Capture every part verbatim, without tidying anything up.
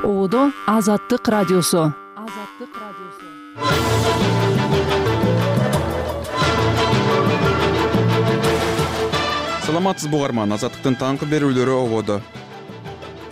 Ободо Азаттык радиосу. Азаттык радиосу. Саламатсызбы угарман, Азаттыктын таңкы берүүлөрү ободо.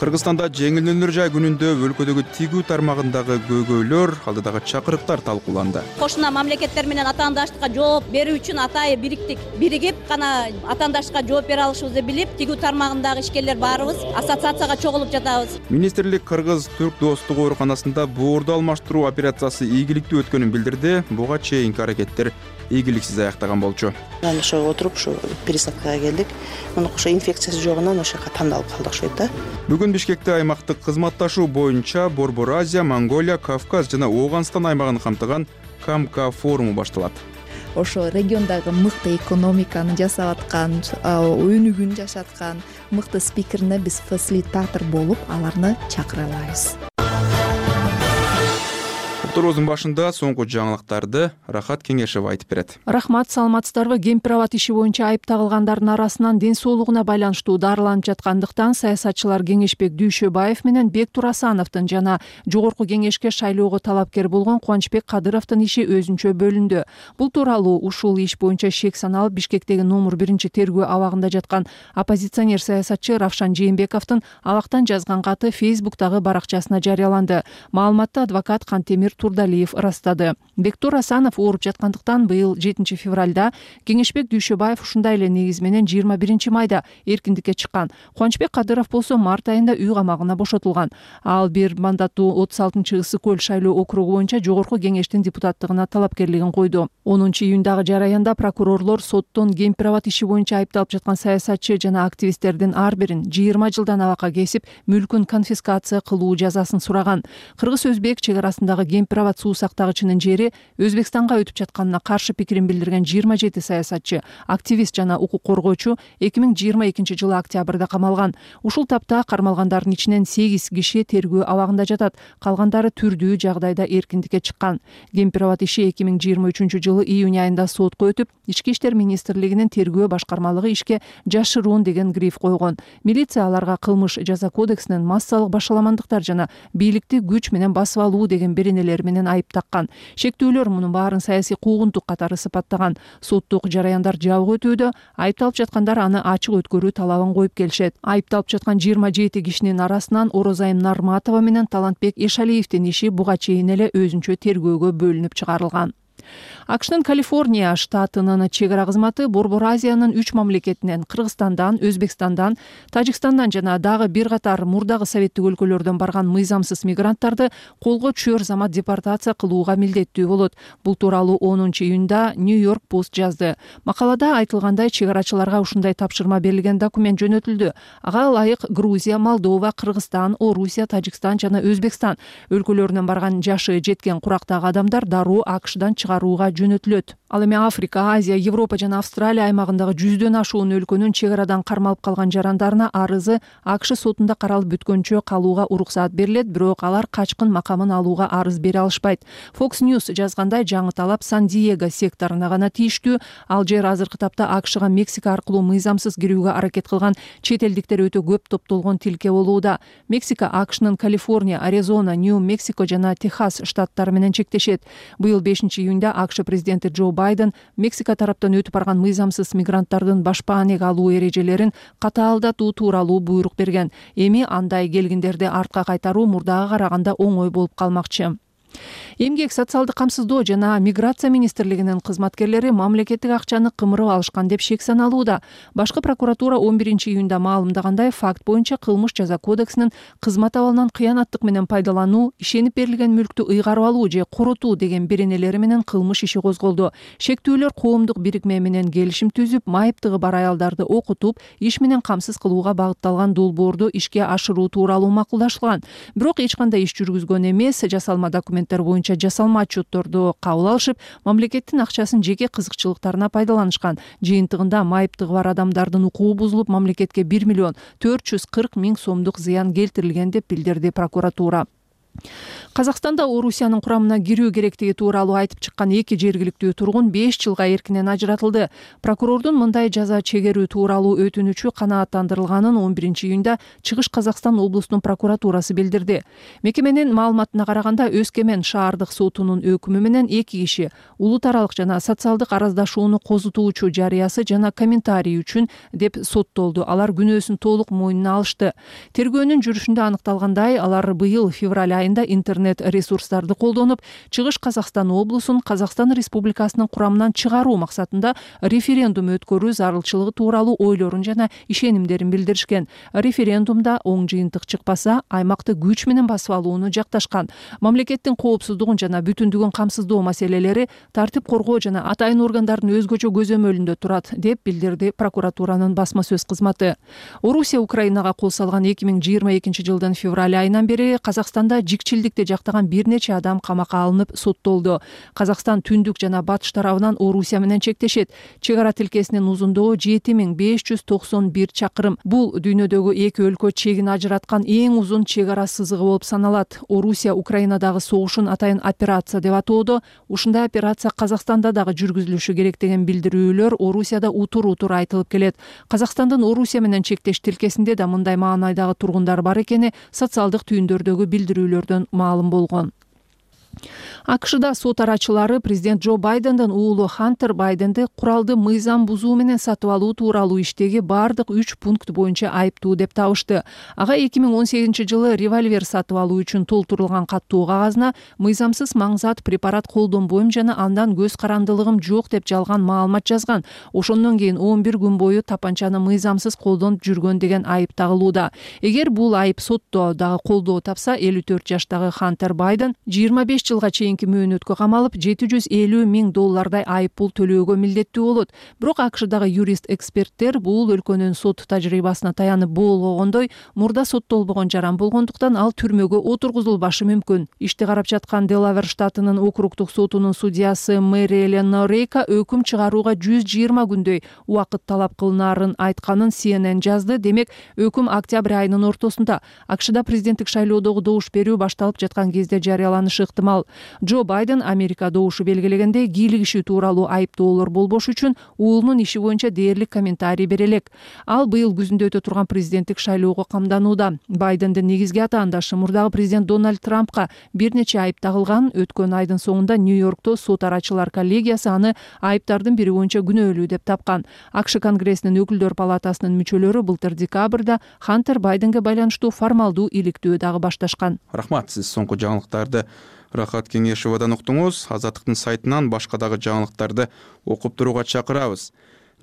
Кыргызстанда жеңилденүүлөр жай күнүндө өлкөдөгү тигүү тармагындагы көйгөйлөр, алдыдагы чакырыктар талкууланды. Кошуна мамлекеттер менен атаандаштыкка жооп берүү үчүн атайы бириктик. Биригип гана атаандаштыкка жооп бере алышыбызды билип, тигүү тармагындагы ишкерлер баарыбыз ассоциацияга чогулуп жатабыз. Министрлик Кыргыз-Түрк достук ооруканасында боорду алмаштыруу операциясы ийгиликтүү өткөнүн билдирди. Буга чейинки аракеттер ийгиликсиз аяктаган болчу. Анан ошо отуруп ушу пересадкага келдик. Мына ошо инфекциясы жогунан ошо жака тандалып калдык ошойт да. Бүгүн Бишкекте аймактык кызматташуу боюнча Борбор Азия, Монголия, Кавказ жана Ооганстан аймагын камтыган КАМКА форуму башталат. Ошо региондагы мыкты экономиканы жасап аткан, өнүгүүнү жашаткан мыкты спикерине биз фасилитатор болуп, аларны чакыра алабыз. Турбуздун башында соңку жаңылыктарды Рахат Кеңешева айтып берет. Рахмат, саламатсыздарбы? Кемпир-абад иши боюнча айып тагылгандардын арасынан ден соолугуна байланыштуу дарыланып жаткандыктан саясатчылар Кеңешбек Дүйшөбаев менен Бектур Асановдун жана жогорку кеңешке шайлоого талапкер болгон Кубанычбек Кадыровдун иши өзүнчө бөлүндү. Бул тууралуу ушул иш боюнча шек саналып Бишкектеги номер биринчи тергөө абагында жаткан оппозиционер саясатчы Равшан Жээнбековдун абактан жазган каты Фейсбуктагы баракчасына жарыяланды. Маалыматты адвокат Кантемир Турдалиев ырастады. Бектур Асанов ооруп жаткандыктан быйыл жетинчи февралда Кеңешбек Дүйшөбаев ушундай эле негиз менен жыйырма биринчи майда эркиндикке чыккан. Кубанычбек Кадыров болсо март айында үй камагына бошотулган. Ал бир мандаттуу отуз алтынчы Ысык көл шайлоо округу боюнча жогорку кеңештин депутаттыгына талапкерлигин койду. онунчу июндагы жараянда прокурорлор соттон Кемпир-абад иши боюнча айыпталып жаткан саясатчы жана активисттердин ар бирин жыйырма жылдан абакка кесип, мүлкүн конфискация кылуу жазасын сураган. Кыргыз-Өзбек чек арасындагы Кемпир-абад суу сактагычынын жери Өзбекстанга өтүп жатканына каршы пикирин билдирген жыйырма жети саясатчы, активист жана укук коргоочу эки миң жыйырма экинчи жылы октябрда камалган. Ушул тапта кармалгандардын ичинен сегиз киши тергөө абагында жатат, калгандары түрдүү жагдайда эркиндикке чыккан. Кемпир-абад иши эки миң жыйырма үчүнчү жылы июнь айында сотко өтүп, Ички иштер министрлигинин тергөө башкармалыгы ишке жашыруун деген гриф койгон. Милиция аларга кылмыш жаза кодексинин массалык башаламандыктар жана бийликти күч менен басып алуу деген беренелер менен айып таккан. Шектүүлөр мунун баарын саясий куугунтук катары сыпаттаган. Соттук жараяндар жабык өтүүдө, айыпталып жаткандар аны ачык өткөрүү талабын коюп келишет. Айыпталып жаткан жыйырма жети кишинин арасынан Орозайым Нарматова менен Талантбек Эшалиевдин иши буга чейин эле өзүнчө тергөөгө бөлүнүп чыгарылган. АКШнын Калифорния штатынын чек ара кызматы Борбор Азиянын үч мамлекетинен Кыргызстандан, Өзбекстандан, Тажикстандан жана дагы бир катар мурдагы советтик өлкөлөрдөн барган мыйзамсыз мигранттарды колго түшөр замат депортация кылууга милдеттүү болот. Бул тууралуу онунчу июнда Нью-Йорк Пост жазды. Макалада айтылгандай, чек арачыларга ушундай тапшырма берилген документ жөнөтүлдү. Ага ылайык Грузия, Молдова, Кыргызстан, Орусия, Тажикстан жана Өзбекстан өлкөлөрүнөн барган жашы жеткен курактагы адамдар дароо АКШдан чыгарууга жөнөтүлөт. Ал эми Африка, Азия, Европа жана Австралия аймагындагы жүздөн ашуун өлкөнүн чек арадан кармалып калган жарандарына арызы АКШ сотунда каралып бүткөнчө калууга уруксаат берилет, бирок алар качкын макамын алууга арыз бере алышпайт. Fox News жазгандай, жаңы талап Сан-Диего секторуна гана тийиштүү. Ал жер азыркы тапта АКШга Мексика аркылуу мыйзамсыз кирүүгө аракет кылган чет элдиктер өтө көп топтолгон тилке болууда. Мексика АКШнын Калифорния, Аризона, Нью-Мексико жана Техас штаттары менен чектешет. Быйыл бешинчи июнда АКШ президенти Джо Байден Мексика тараптан өтүп барган мыйзамсыз мигранттардын башпаанеге алуу эрежелерин катаалдатуу тууралуу буйрук берген. Эми андай келгиндерди артка кайтаруу мурдага караганда оңой болуп калмакчы. Эмгек, социалдык камсыздоо жана миграция министрлигинин кызматкерлери мамлекеттик акчаны кымырып алышкан деп шек саналууда. Башкы прокуратура он биринчи июнда маалымдагандай, факт боюнча кылмыш жаза кодексинин кызмат абалынан кыянаттык менен пайдалануу, ишенип берилген мүлктү ыйгарып алуу же коротуу деген беренелери менен кылмыш иши козголду. Шектүүлөр коомдук бирикме менен келишим түзүп, майыптыгы бар аялдарды окутуп, иш менен камсыз кылууга багытталган долбоорду ишке ашыруу тууралуу макулдашылган. Бирок эч кандай иш жүргүзгөн эмес, жасалма документтер боюнча жасалма отчетторду кабыл алышып, мамлекеттин акчасын жеке кызыкчылыктарына пайдаланышкан. Жыйынтыгында майыптыгы бар адамдардын укугу бузулуп, мамлекетке бир миллион төрт жүз кырк миң сомдук зыян келтирилген деп билдирди прокуратура. Казакстанда Орусиянын курамына кирүү керектиги тууралуу айтып чыккан эки жергиликтүү тургун беш жылга эркинен ажыратылды. Прокурордун мындай жаза чегерүү тууралуу өтүнүчү канааттандырылганын он биринчи июнда Чыгыш Казакстан облустунун прокуратурасы билдирди. Мекеменин маалыматына караганда Өскемен шаардык сотунун өкүмү менен эки киши улут аралык жана социалдык араздашууну козутуучу жарыясы жана комментарий үчүн деп соттолду. Алар күнөөсүн толук мойнуна алышты. Тергөөнүн жүрүшүндө аныкталгандай, алар быйыл февраль айында интернет ресурстарды колдонуп, Чыгыш Казакстан облусун Казакстан Республикасынын курамынан чыгаруу максатында референдум өткөрүү зарылчылыгы тууралуу ойлорун жана ишенимдерин билдиришкен. Референдумда оң жыйынтык чыкпаса, аймакты күч менен басып алууну жакташкан. Мамлекеттин коопсуздугун жана бүтүндүгүн камсыздоо маселелери тартип коргоо жана атайын органдардын өзгөчө көзөмөлүндө турат, деп билдирди прокуратуранын басма сөз кызматы. Орусия Украинага кол салган эки миң жыйырма экинчи жылдын февраль айынан бери Казакстанда жикчилдикти жактаган бир нече адам камакка алынып соттолду. Казакстан түндүк жана батыш тарабынан Орусия менен чектешет. Чек ара тилкесинин узундугу жети миң беш жүз токсон бир чакырым. Бул дүйнөдөгү эки өлкө чегин ажыраткан эң узун чек ара сызыгы болуп саналат. Орусия Украинадагы согушун атайын операция деп атоодо. Ушундай операция Казакстанда дагы жүргүзүлүшү керек деген билдирүүлөр Орусияда утур-утур айтылып келет. Казакстандын Орусия менен чектеш тилкесинде да мындай маанайдагы тургундар бар экени социалдык түйүндөрдөгү билдирүүлөрдөн маалым болгон. АКШда сот арачылары президент Джо Байдендин уулу Хантер Байденди куралды мыйзам бузуу менен сатып алуу тууралуу иштеги бардык үч пункт боюнча айыптуу деп табышты. Ага эки миң он сегизинчи жылы револьвер сатып алуу үчүн толтурулган каттуу кагазына мыйзамсыз маңзат препарат колдонбойм жана андан көз карандылыгым жок деп жалган маалымат жазган. Ошондон кийин он бир күн бою тапанчаны мыйзамсыз колдонуп жүргөн деген айып тагылууда. Эгер бул айып сотто дагы колдоо тапса, элүү төрт жаштагы Хантер Байден жыйырма беш жылга чейинки мөөнөткө камалып, жети жүз элүү миң доллардай айып пул төлөөгө милдеттүү болот. Бирок АКШдагы юрист-эксперттер бул өлкөнүн сот тажрыйбасына таянып болгондой, мурда соттолбогон жаран болгондуктан ал түрмөгө отургузулбашы мүмкүн. Ишти карап жаткан Делавер штатынын округдук сотунун судьясы Мэри Элен Норейка өкүм чыгарууга жүз жыйырма күндөй убакыт талап кылынаарын айтканын Си Эн Эн жазды. Демек, өкүм октябрь айынын ортосунда АКШда президенттик шайлоодогу добуш берүү башталып жаткан кезде жарыяланышы ыктымал. Джо Байден Америка добушу белгилегенде кийлигишүү тууралуу айыптоолор болбош үчүн уулунун иши боюнча дээрлик комментарий бере элек. Ал быйыл күзүндө өтө турган президенттик шайлоого камданууда. Байдендин негизги атаандашы мурдагы президент Дональд Трампка бир нече айып тагылган. Өткөн айдын соңунда Нью-Йоркто сот арачылар коллегиясы аны айыптардын бири боюнча күнөөлүү деп тапкан. АКШ Конгрессинин өкүлдөр палатасынын мүчөлөрү былтыр декабрда Хантер Байденге байланыштуу формалдуу иликтөө дагы башташкан. Рахмат, сиз соңку жаңылыктарды Рахат Кеңешевадан уктуңуз. Азаттыктын сайтынан башка дагы жаңылыктарды окуп турууга чакырабыз.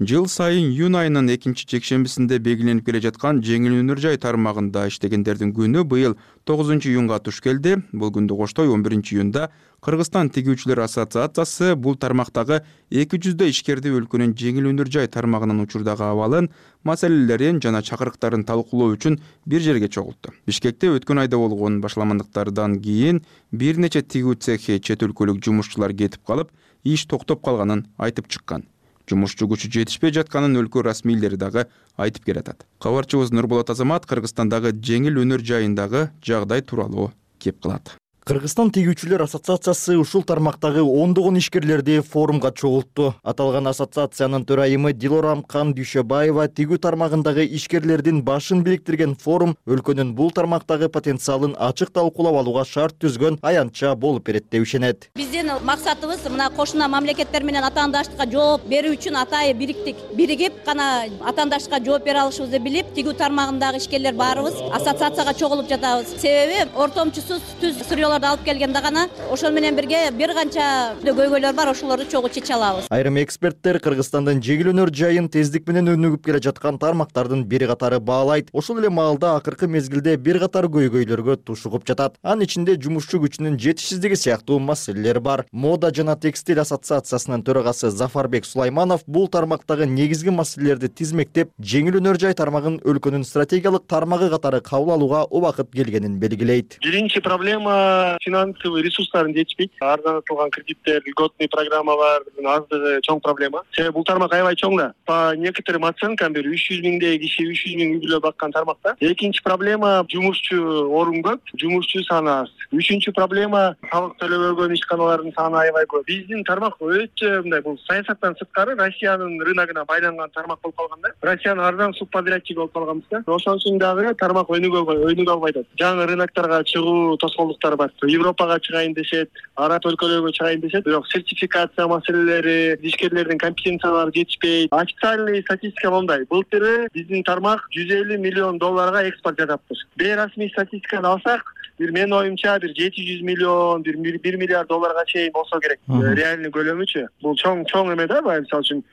Жыл сайын июнь айынын экинчи жекшембисинде белгиленип келе жаткан жеңил өнөр жай тармагында иштегендердин күнү быйыл тогузунчу июнга туш келди. Бул күндү коштой он биринчи июнда Кыргызстан тигүүчүлөр ассоциациясы бул тармактагы эки жүздөй ишкерди өлкөнүн жеңил өнөр жай тармагынын учурдагы абалын, маселелерин жана чакырыктарын талкуулоо үчүн бир жерге чогултту. Бишкекте өткөн айда болгон башаламандыктардан кийин бир нече тигүү цехи чет өлкөлүк жумушчулар кетип калып, иш токтоп калганын айтып чыккан. Жумушчу күчү жетишпей жатканын өлкө расмийлери дагы айтып келатат. Кабарчыбыз Нурболот Азамат Кыргызстандагы жеңил өнөр жайындагы жагдай тууралуу кеп кылат. Кыргызстан тигүүчүлөр ассоциациясы ушул тармактагы ондогон ишкерлерди форумга чогултту. Аталган ассоциациянын төрайымы Дилорамкан Дүйшөбаева тигүү тармагындагы ишкерлердин башын бириктирген форум өлкөнүн бул тармактагы потенциалын ачык талкуулап алууга шарт түзгөн аянтча болуп берет деп ишенет. Биздин максатыбыз мына кошуна мамлекеттер менен атаандаштыкка жооп берүү үчүн атайын бириктик. Биригип гана атаандаштыкка жооп бере алышыбызды билип, тигүү тармагындагы ишкерлер баарыбыз ассоциацияга чогулуп жатабыз. Себеби ортомчусуз түз сүрөөлөр алып келгенде гана ошол менен бирге бир канча көйгөйлөр бар, ошолорду чогуу чече алабыз. Айрым эксперттер Кыргызстандын жеңил өнөр жайын тездик менен өнүгүп келе жаткан тармактардын бири катары баалайт. Ошол эле маалда акыркы мезгилде бир катар көйгөйлөргө тушугуп жатат. Анын ичинде жумушчу күчүнүн жетишсиздиги сыяктуу маселелер бар. Мода жана текстиль ассоциациясынын төрагасы Зафарбек Сулайманов бул тармактагы негизги маселелерди тизмектеп, жеңил өнөр жай тармагын өлкөнүн стратегиялык тармагы катары кабыл алууга убакыт келгенин белгилейт. Биринчи проблема Россия финансовый ресурстарын жетишпейт. Арзандатылган кредиттер, льготный программалардын аздыгы чоң проблема. Себеби бул тармак аябай чоң да. По некоторым оценкам бир үч жүз миңдей киши үч жүз миң үй бүлө баккан тармакта. Экинчи проблема жумушчу орун көп, жумушчу саны аз. Үчүнчү проблема салык төлөбөгөн ишканалардын саны аябай көп. Биздин тармак өтө мындай бул саясаттан сырткары Россиянын рыногуна байланган тармак болуп калган да. Россиянын арзан субподрядчиги болуп калганбыз да. Ошон үчүн дагы тармак өнүгө өнүгө албай атат. Жаңы рынокторго чыгуу тоскоолдуктары бар. Европага чыгайын дешет, араб өлкөлөргө чыгайын дешет, бирок сертификация маселелери, ишкерлердин компетенциялары жетишпейт. Официальный статистика мындай: былтыры биздин тармак жүз элүү миллион долларга экспорт жасаптыр. Бейрасмий статистиканы алсак, бир менин оюмча бир жети жүз миллион, бир бир миллиард долларга чейин болсо керек. Реальный көлөмүчү. Бул чоң чоң эме да, мисалы үчүн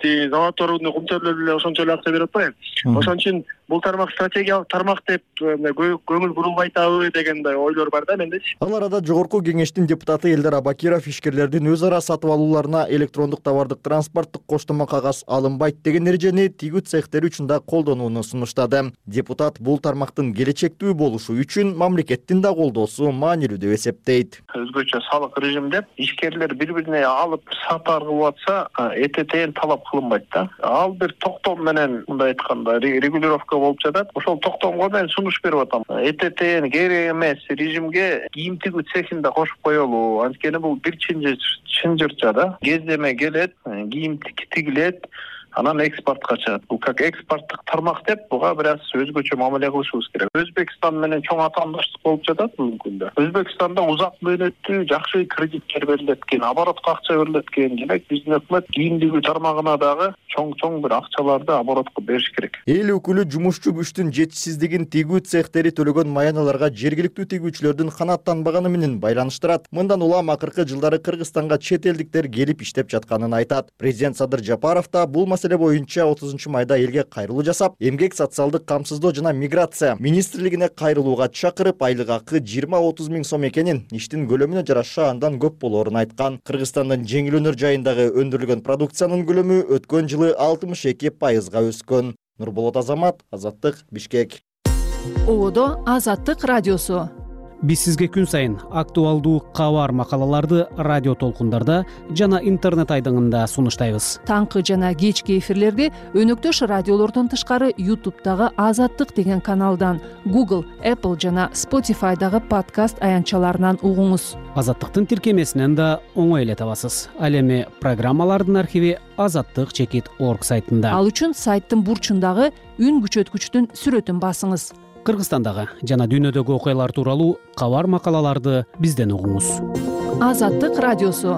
тиги заводдордун кумтөрлөрү эле ошончо эле акча берип атпайбы. Ошон үчүн бул тармак стратегиялык тармак деп көңүл бурулбай атабы деген ойлор бар да мендечи. Ал арада жогорку кеңештин депутаты Элдар Абакиров ишкерлердин өз ара сатып алууларына электрондук товардык транспорттук коштомо кагаз алынбайт деген эрежени тигүү цехтери үчүн да колдонууну сунуштады. Депутат бул тармактын келечектүү болушу үчүн мамлекеттин да колдоосу маанилүү деп эсептейт. Өзгөчө салык режим деп ишкерлер бири-бирине алып сатар кылып атса, этетен талап кылынбайт да. Ал бир токтом менен мындай айтканда регулировка болуп жатат. Ошол токтомго мен сунуш берип атам. Этетен керек эмес режимге кийим тигүү цехинде кошуп коелу. Анткени бул бир чынжырча да. Кездеме келет, кийим тигилет, анан экспортко чыгат. Бул как экспорттук тармак деп буга бир аз өзгөчө мамиле кылышыбыз керек. Өзбекстан менен чоң атаандаштык болуп жатат бүгүнкү күндө. Өзбекстанда узак мөөнөттүү жакшы кредиттер берилет экен, оборотко акча берилет экен. Демек биздин өкмөт кийим тигүү тармагына дагы чоң-чоң бир акчаларды оборотко бериш керек. Эл өкүлү жумушчу күчтүн жетишсиздигин тигүү цехтери төлөгөн маяналарга жергиликтүү тигүүчүлөрдүн канааттанбаганы менен байланыштырат. Мындан улам акыркы жылдары Кыргызстанга чет элдиктер келип иштеп жатканын айтат. Президент Садыр Жапаров да бул маселе боюнча отузунчу майда элге кайрылуу жасап, эмгек социалдык камсыздоо жана миграция министрлигине кайрылууга чакырып, айлык акы жыйырма отуз миң сом экенин, иштин көлөмүнө жараша андан көп болоорун айткан. Кыргызстандын жеңил өнөр жайындагы өндүрүлгөн продукциянын көлөмү өткөн жылы алтымыш эки пайызга өскөн. Нурболот Азамат, Азаттык, Бишкек. Ободо Азаттык радиосу. Биз сизге күн сайын актуалдуу кабар макалаларды радио толкундарда жана интернет айдыңында сунуштайбыз. Таңкы жана кечки эфирлерди өнөктөш радиолордон тышкары YouTube'дагы Азаттык деген каналдан, Google, Apple жана Spotify'дагы подкаст аянтчаларынан угуңуз. Азаттыктын тиркемесинен да оңой эле табасыз. Ал эми программалардын архиви азаттык чекит орг сайтында. Ал үчүн сайттын бурчундагы үн күчөткүчтүн сүрөтүн басыңыз. Кыргызстандагы жана дүйнөдөгү окуялар тууралуу кабар макалаларды бизден угуңуз. Азаттык радиосу.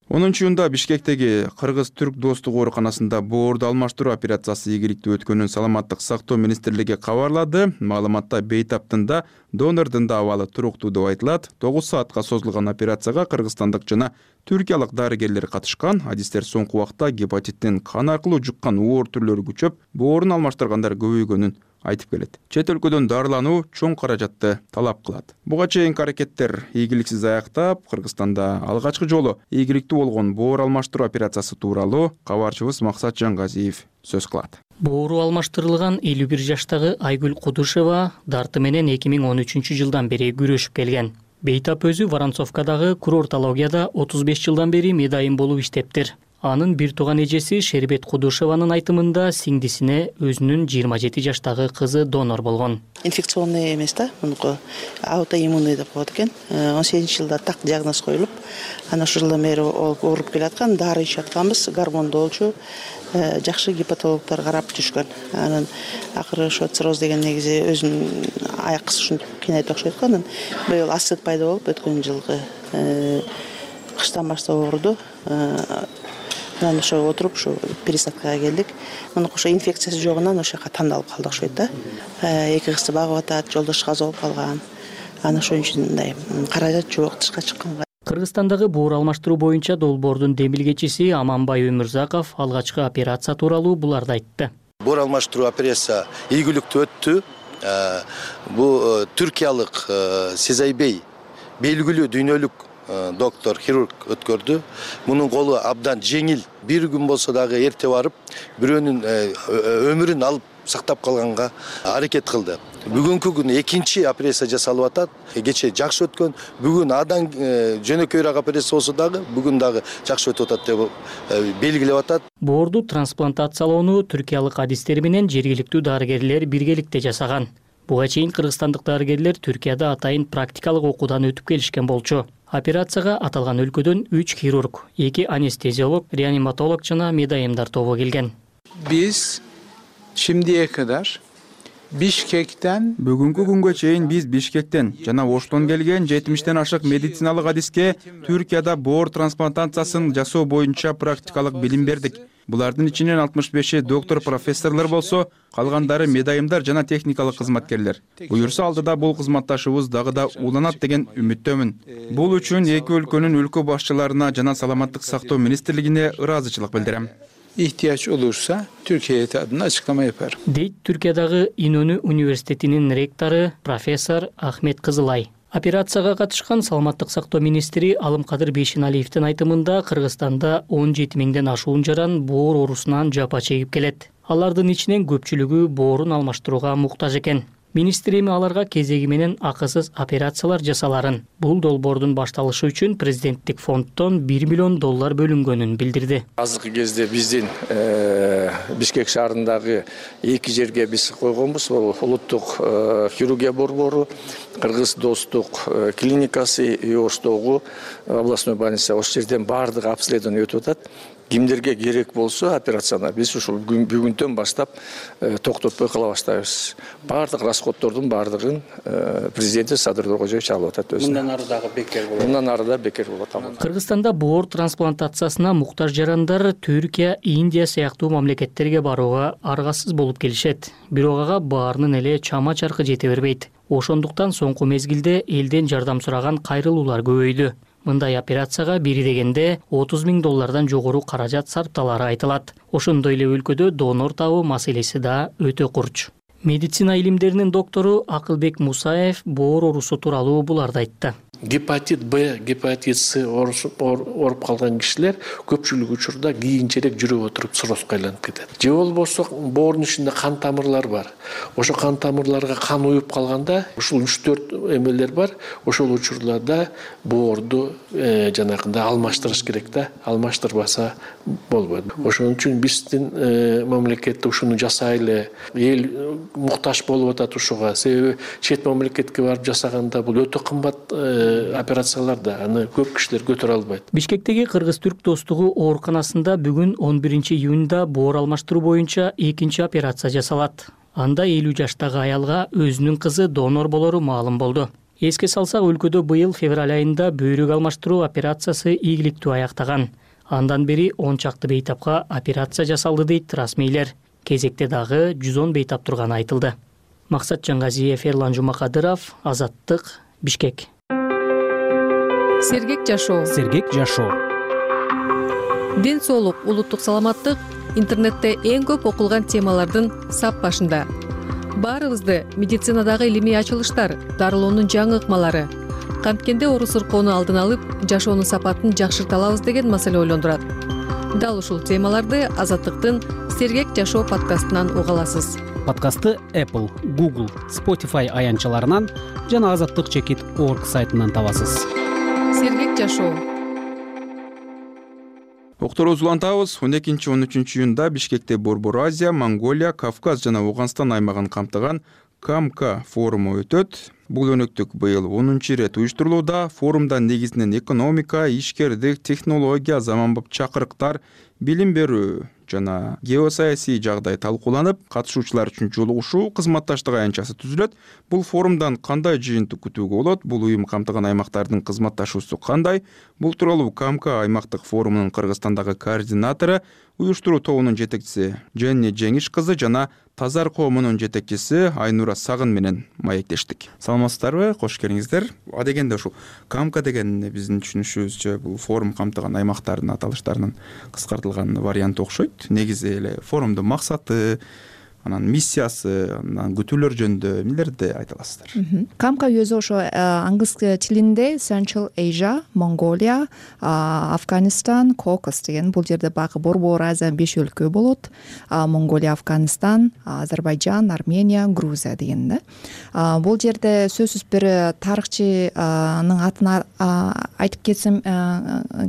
онунчу июнда Бишкектеги Кыргыз-Түрк достук ооруканасында боорду алмаштыруу операциясы ийгиликтүү өткөнүн Саламаттык сактоо министрлиги кабарлады. Маалыматта бейтаптын да, донордун да абалы туруктуу деп айтылат. тогуз саатка созулган операцияга кыргызстандык жана түркиялык дарыгерлер катышкан. Адистер соңку убакта гепатиттин кан аркылуу жуккан оор түрлөрү күчөп, боорун алмаштыргандар көбөйгөнүн айтып келет. Чет өлкөдөн дарылануу чоң каражатты талап кылат. Буга чейинки аракеттер ийгиликсиз аяктап, Кыргызстанда алгачкы жолу ийгиликтүү болгон боор алмаштыруу операциясы тууралуу кабарчыбыз Максат Жангазиев сөз кылат. Боору алмаштырылган элүү бир жаштагы Айгүл Кудушева дарты менен эки миң он үчүнчү жылдан бери күрөшүп келген. Бейтап өзү Воронцовкадагы курортологияда отуз беш жылдан бери медайым болуп иштептир. Анын бир тууган эжеси Шербет Кудушеванын айтымында сиңдисине өзүнүн жыйырма жети жаштагы кызы донор болгон. Инфекционный эмес да, мунуку аутоиммунный деп коет экен. он сегизинчи жылда так диагноз коюлуп, анан ошол жылдан бери ооруп келаткан, дары ичип атканбыз, гормондолчу, жакшы гепатологдор карап жүрүшкөн. Анан акыры ошо цирроз деген негизи өзүнүн аяк ушинтип кийнейт окшойт го. Анан быйыл астыт пайда болуп, өткөн жылкы кыштан баштап ооруду. Анан ошо отуруп ушу пересадкага келдик. Муну ошо инфекциясы жогунан ошо жака тандалып калдык окшойт да. Эки кызды багып атат, жолдош каза болуп калган. Анан ошон үчүн мындай каражат жок, тышка чыкканга. Кыргызстандагы боор алмаштыруу боюнча долбоордун демилгечиси Аманбай Өмүрзаков алгачкы операция тууралуу буларды айтты. Боор алмаштыруу операция ийгиликтүү өттү. Бул түркиялык Сезайбей белгилүү дүйнөлүк доктор, хирург өткөрдү. Мунун колу абдан жеңил. Бир күн болсо дагы эрте барып, бирөөнүн өмүрүн алып сактап калганга аракет кылды. бүгүнкү күнү экинчи операция жасалып атат. Кечээ жакшы өткөн, бүгүн адан жөнөкөйрөөк операция болсо дагы бүгүн дагы жакшы өтүп атат деп белгилеп атат. Боорду трансплантациялоону түркиялык адистер менен жергиликтүү дарыгерлер биргеликте жасаган. Буга чейин кыргызстандык дарыгерлер Түркияда атайын практикалык окуудан өтүп келишкен болчу. Операцияга аталган өлкөдөн үч хирург, эки анестезиолог, реаниматолог жана медайымдар тобу келген. Биз şimdiye kadar Бишкектен бүгүнкү күнгө чейин биз Бишкектен жана Оштон келген жетимиштен ашык медициналык адиске Түркияда боор трансплантациясын жасоо боюнча практикалык билим бердик. Булардын ичинен алтымыш беши доктор профессорлор болсо, калгандары медайымдар жана техникалык кызматкерлер. Буюрса алдыда бул кызматташыбыз дагы да уланат деген үмүттөмүн. Бул үчүн эки өлкөнүн өлкө башчыларына жана саламаттык сактоо министрлигине ыраазычылык билдирем. ihtiyaç olursa Türkiye heyeti adına açıklama yapar. Дейт Түркиядагы Инөнү университетинин ректору профессор Ахмет Кызылай. Операцияга катышкан саламаттык сактоо министри Алымкадыр Бейшеналиевдин айтымында Кыргызстанда он жети миңден ашуун жаран боор оорусунан жапа чегип келет. Алардын ичинен көпчүлүгү боорун алмаштырууга муктаж экен. Министр эми аларга кезеги менен акысыз операциялар жасаларын. Бул долбоордун башталышы үчүн президенттик фонддон бир миллион доллар бөлүнгөнүн билдирди. Азыркы кезде биздин Бишкек шаарындагы эки жерге биз койгонбуз. Бул улуттук хирургия борбору, Кыргыз достук клиникасы и Оштогу областной больница. Ош жерден баардык обследование өтүп атат. Кимдерге керек болсо операцияны биз ушул бүгүндөн баштап токтотпой кыла баштайбыз. Баардык расходдордун баардыгын президенти Садыр Тургожоевич алып атат өзү. Мындан ары дагы бекер болот. Мындан ары да бекер болот. Кыргызстанда боор трансплантациясына муктаж жарандар Түркия, Индия сыяктуу мамлекеттерге барууга аргасыз болуп келишет. Бирок ага баарынын эле чама чаркы жете бербейт. Ошондуктан соңку мезгилде элден жардам сураган кайрылуулар көбөйдү. Мындай операцияга бири дегенде отуз миң доллардан жогору каражат сарпталары айтылат. Ошондой эле өлкөдө донор табуу маселеси да өтө курч. Медицина илимдеринин доктору Акылбек Мусаев боор оорусу тууралуу буларды айтты. Гепатит Б, гепатит С оруп калган кишилер көпчүлүк учурда кийинчерээк жүрүп отуруп циррозго айланып кетет. Же болбосо боордун ичинде кан тамырлар бар. Ошо кан тамырларга кан уюп калганда ушул үч төрт эмелер бар. Ошол учурларда боорду жанагындай алмаштырыш керек да. Алмаштырбаса болбойт. Ошон үчүн биздин мамлекетте ушуну жасайлы, эл муктаж болуп атат ушуга. Себеби чет мамлекетке барып жасаганда бул өтө кымбат операцияларда аны көп кишилер көтөрө албайт. Бишкектеги Кыргыз-Түрк достугу ооруканасында бүгүн он биринчи июнда боор алмаштыруу боюнча экинчи операция жасалат. Анда элүү жаштагы аялга өзүнүн кызы донор болору маалым болду. Эске салсак, өлкөдө быйыл февраль айында бөйрөк алмаштыруу операциясы ийгиликтүү аяктаган. Андан бери он чакты бейтапка операция жасалды дейт расмийлер. Кезекте дагы жүз он бейтап турганы айтылды. Максат Жаңгазиев, Эрлан Жумакадыров, Азаттык, Бишкек. Сергек жашоо. Сергек жашоо. Ден соолук, улуттук саламаттык интернетте эң көп окулган темалардын сап башында. Баарыбызды медицинадагы илимий ачылыштар, дарылоонун жаңы ыкмалары, канткенде оору сыркоону алдын алып, жашоонун сапатын жакшырта алабыз деген маселе ойлондурат. Дал ушул темаларды Азаттыктын Сергек жашоо подкастынан уга аласыз. Подкастты Apple, Google, Spotify аянтчаларынан жана азаттык чекит точка орг сайтынан табасыз. Сергек жашоо. Окторубузду улантабыз. он экинчи он үчүнчү июнда Бишкекте Борбор Азия, Монголия, Кавказ жана Ауганстан аймагын камтыган КАМК форуму өтөт. Бул өнөктүк быйыл онунчу ирет уюштурулууда. Форумда негизинен экономика, ишкердик, технология, заманбап чакырыктар, билим берүү жана геосаясий жагдай талкууланып, катышуучулар үчүн жолугушуу кызматташтык аянтчасы түзүлөт. Бул форумдан кандай жыйынтык күтүүгө болот? Бул уюм камтыган аймактардын кызматташуусу кандай? Бул тууралуу КАМК аймактык форумунун Кыргызстандагы координатору, уюштуруу тобунун жетекчиси Женни Жеңиш кызы жана Тазар коомунун жетекчиси Айнура Сагын менен маектештик. Саламатсыздарбы? Кош келиңиздер. Адегенде ушул КАМК деген биздин түшүнүшүбүзчө бул форум камтыган аймактардын аталыштарынын кыскартылган варианты окшойт. Негизи эле форумдун максаты, анан миссиясы, анан күтүүлөр жөнүндө эмнелерди айта аласыздар? камка өзү ошо англис тилинде Central Asia, Mongolia, Афганистан, Кокос деген бул жерде баягы Борбор Азия беш өлкө болот. Монголия, Афганистан, Азербайжан, Армения, Грузия деген да. Бул жерде сөзсүз бир тарыхчынын атын айтып кетсем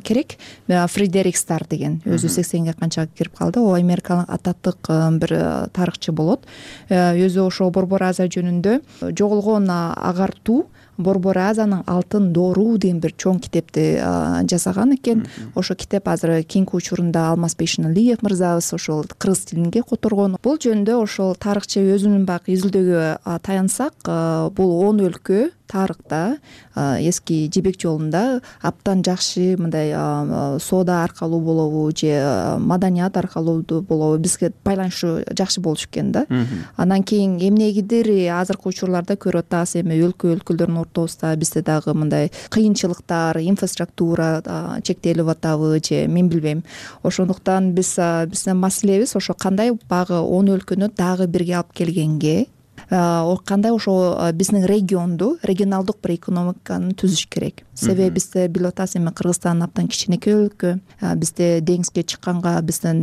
керек. Фредерик Стар деген өзү сексенге канча кирип калды. Ол Америкалык ататтык бир тарыхчы болот. Өзү ошо Борбор Азия жөнүндө жоголгон агартуу Борбор Азиянын алтын доору деген бир чоң китепти жасаган экен. Ошо китеп азыр кийинки учурунда Алмазбек Шыналиев мырзабыз ошол кыргыз тилинге которгон. Бул жөнүндө ошол тарыхчы өзүнүн баягы изилдөөгө таянсак, бул он өлкө тарыхта эски жибек жолунда абдан жакшы мындай соода аркылуу болобу же маданият аркылуу болобу бизге байланышы жакшы болуш экен да. Андан кийин эмнегидир азыркы учурларда көрүп атабыз, эми өлкө өлкөлөрдүн ортосунда бизде дагы мындай кыйынчылыктар, инфраструктура чектелип атабы же мен билбейм. Ошондуктан биз биздин маселебиз ошо кандай багы он өлкөнү дагы бирге алып келгенге, кандай ошо биздин регионду, регионалдык бир экономиканы түзүш керек. Себеби бизде билип атасыз, эми Кыргызстан абдан кичинекей өлкө, бизде деңизге чыкканга биздин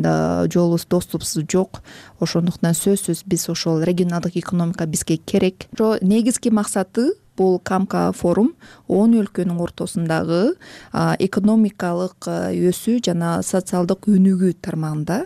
жолубуз, доступубуз жок. Ошондуктан сөзсүз биз ошол регионалдык экономика бизге керек. Ошо негизги максаты бул камка форум он өлкөнүн ортосундагы экономикалык өсүү жана социалдык өнүгүү тармагында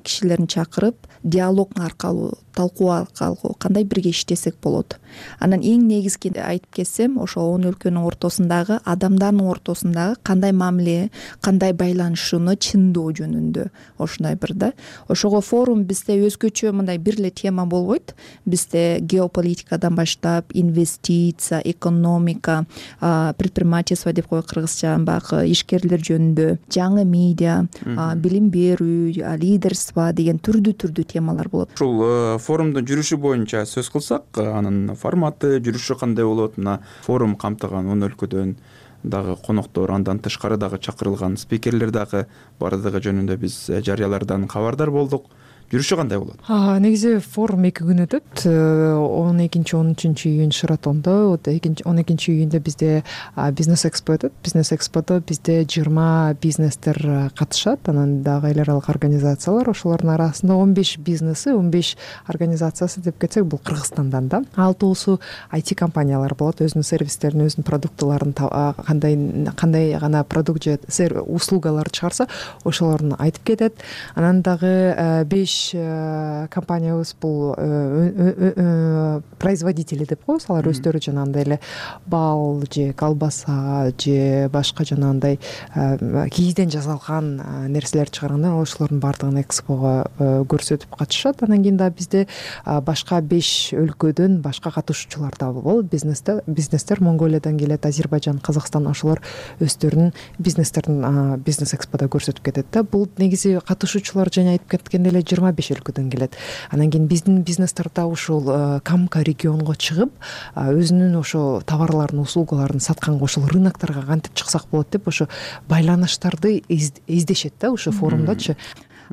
кишилерин чакырып, диалог аркылуу, талкуу аркылуу кандай бирге иштесек болот. Анан эң негизги айтып кетсем, ошо он өлкөнүн ортосундагы адамдардын ортосундагы кандай мамиле, кандай байланышууну чындоо жөнүндө ошондой бир да. Ошого форум бизде өзгөчө мындай бир эле тема болбойт. Бизде геополитикадан баштап, инвестиция, экономика, предпринимательство деп коет кыргызча, баягы ишкерлер жөнүндө, жаңы медиа, билим берүү, лидерство деген түрдүү-түрдүү темалар болот. Ушул форумдун жүрүшү боюнча сөз кылсак, анын форматы, жүрүшү кандай болот? Мына форум камтыган он өлкөдөн дагы коноктор, андан тышкары дагы чакырылган спикерлер дагы бардыгы жөнүндө биз жарыялардан кабардар болдук. Жүрүшү кандай болот? Негизи форум эки күн өтөт. он экинчи он үчүнчү июнь Шаратондо, он экинчи июньдө бизде бизнес экспо өтөт. Бизнес эксподо бизде жыйырма бизнестер катышат, анан дагы эл аралык организациялар, ошолордун арасында он беш бизнеси, он беш организациясы деп кетсек, бул Кыргызстандан да. Алтоосу ай ти компаниялар болот, өзүнүн сервистерин, өзүнүн продуктларын кандай кандай гана продукт же услугалар чыгарса, ошолорун айтып кетет. Анан дагы беш компаниябыз бул производители деп коебуз. Алар өздөрү жанагындай эле бал же колбаса же башка жанагындай кийизден жасалган нерселер чыгарганда ошолордун баардыгын экспого көрсөтүп катышат. Анан кийин дагы бизде башка беш өлкөдөн башка катышуучулар да болот. Бизнестер, бизнестер Монголиядан келет, Азербайжан, Казакстан, ошолор өздөрүнүн бизнестерин бизнес эксподо көрсөтүп кетет да. Бул негизи катышуучулар жана айтып кеткендей эле жыйырма беш өлкөдөн келет. Анан кийин биздин бизнестер да ушул камка регионго чыгып, өзүнүн ошо товарларын, услугаларын сатканга, ошол рынокторго кантип чыксак болот деп ошо байланыштарды издешет да ушул форумдачы.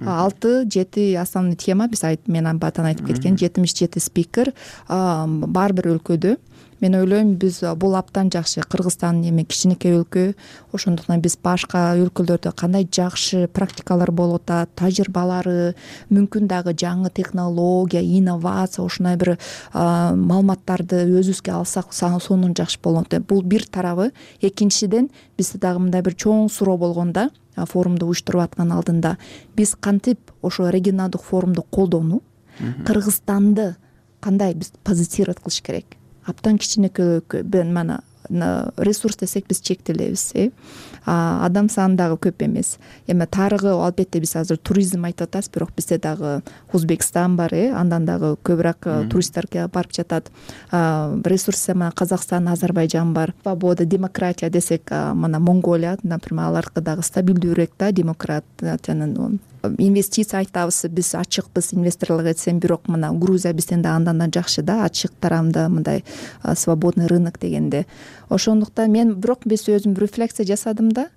алты жети основной тема биз айтып, мен баатан айтып кеткен жетимиш жети спикер бар бир өлкөдө. Мен ойлойм, биз бул абдан жакшы. Кыргызстан эми кичинекей өлкө, ошондуктан биз башка өлкөлөрдө кандай жакшы практикалар болуп атат, тажрыйбалары, мүмкүн дагы жаңы технология, инновация, ошондой бир маалыматтарды өзүбүзгө алсак, сонун жакшы болот. Бул бир тарабы. Экинчиден, бизде дагы мындай бир чоң суроо болгондо, форумду уюштуруп аткан алдында, биз кантип ошо регионалдык форумду колдонуп, Кыргызстанды кандай биз позиционировать кылыш керек? Абдан кичинекей өлкө, мана ресурс десек биз чектелебиз, э адам саны дагы көп эмес. Эми тарыгы албетте биз азыр туризм айтып атабыз, бирок бизде дагы Узбекстан бар, э андан дагы көбүрөөк туристтер барып жатат. Ресурс эми Казакстан, Азербайжан бар. Свобода, демократия десек, мана Монголия, например, аларга дагы стабилдүүрөөк да демократиянын. Инвестиция айтабыз, биз ачыкпыз инвесторлорго десем, бирок мына Грузия бизден да андан да жакшы да, ачык тарамда мындай свободный рынок дегенде. Ошондуктан мен бирок биз өзүм рефлексия жасадым да,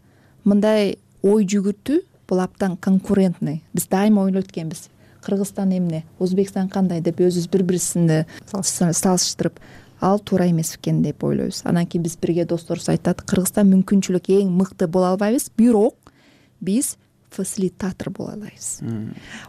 мындай ой жүгүртүү бул абдан конкурентный. Биз дайыма ойлойт экенбиз. Кыргызстан эмне, Өзбекстан кандай деп өзүбүз бири бирибизди салыштырып ал туура эмес экен деп ойлойбуз. Анан кийин биз бирге досторубуз айтат, Кыргызстан мүмкүнчүлүк эң мыкты боло албайбыз, бирок биз фасилитатор боло алабыз.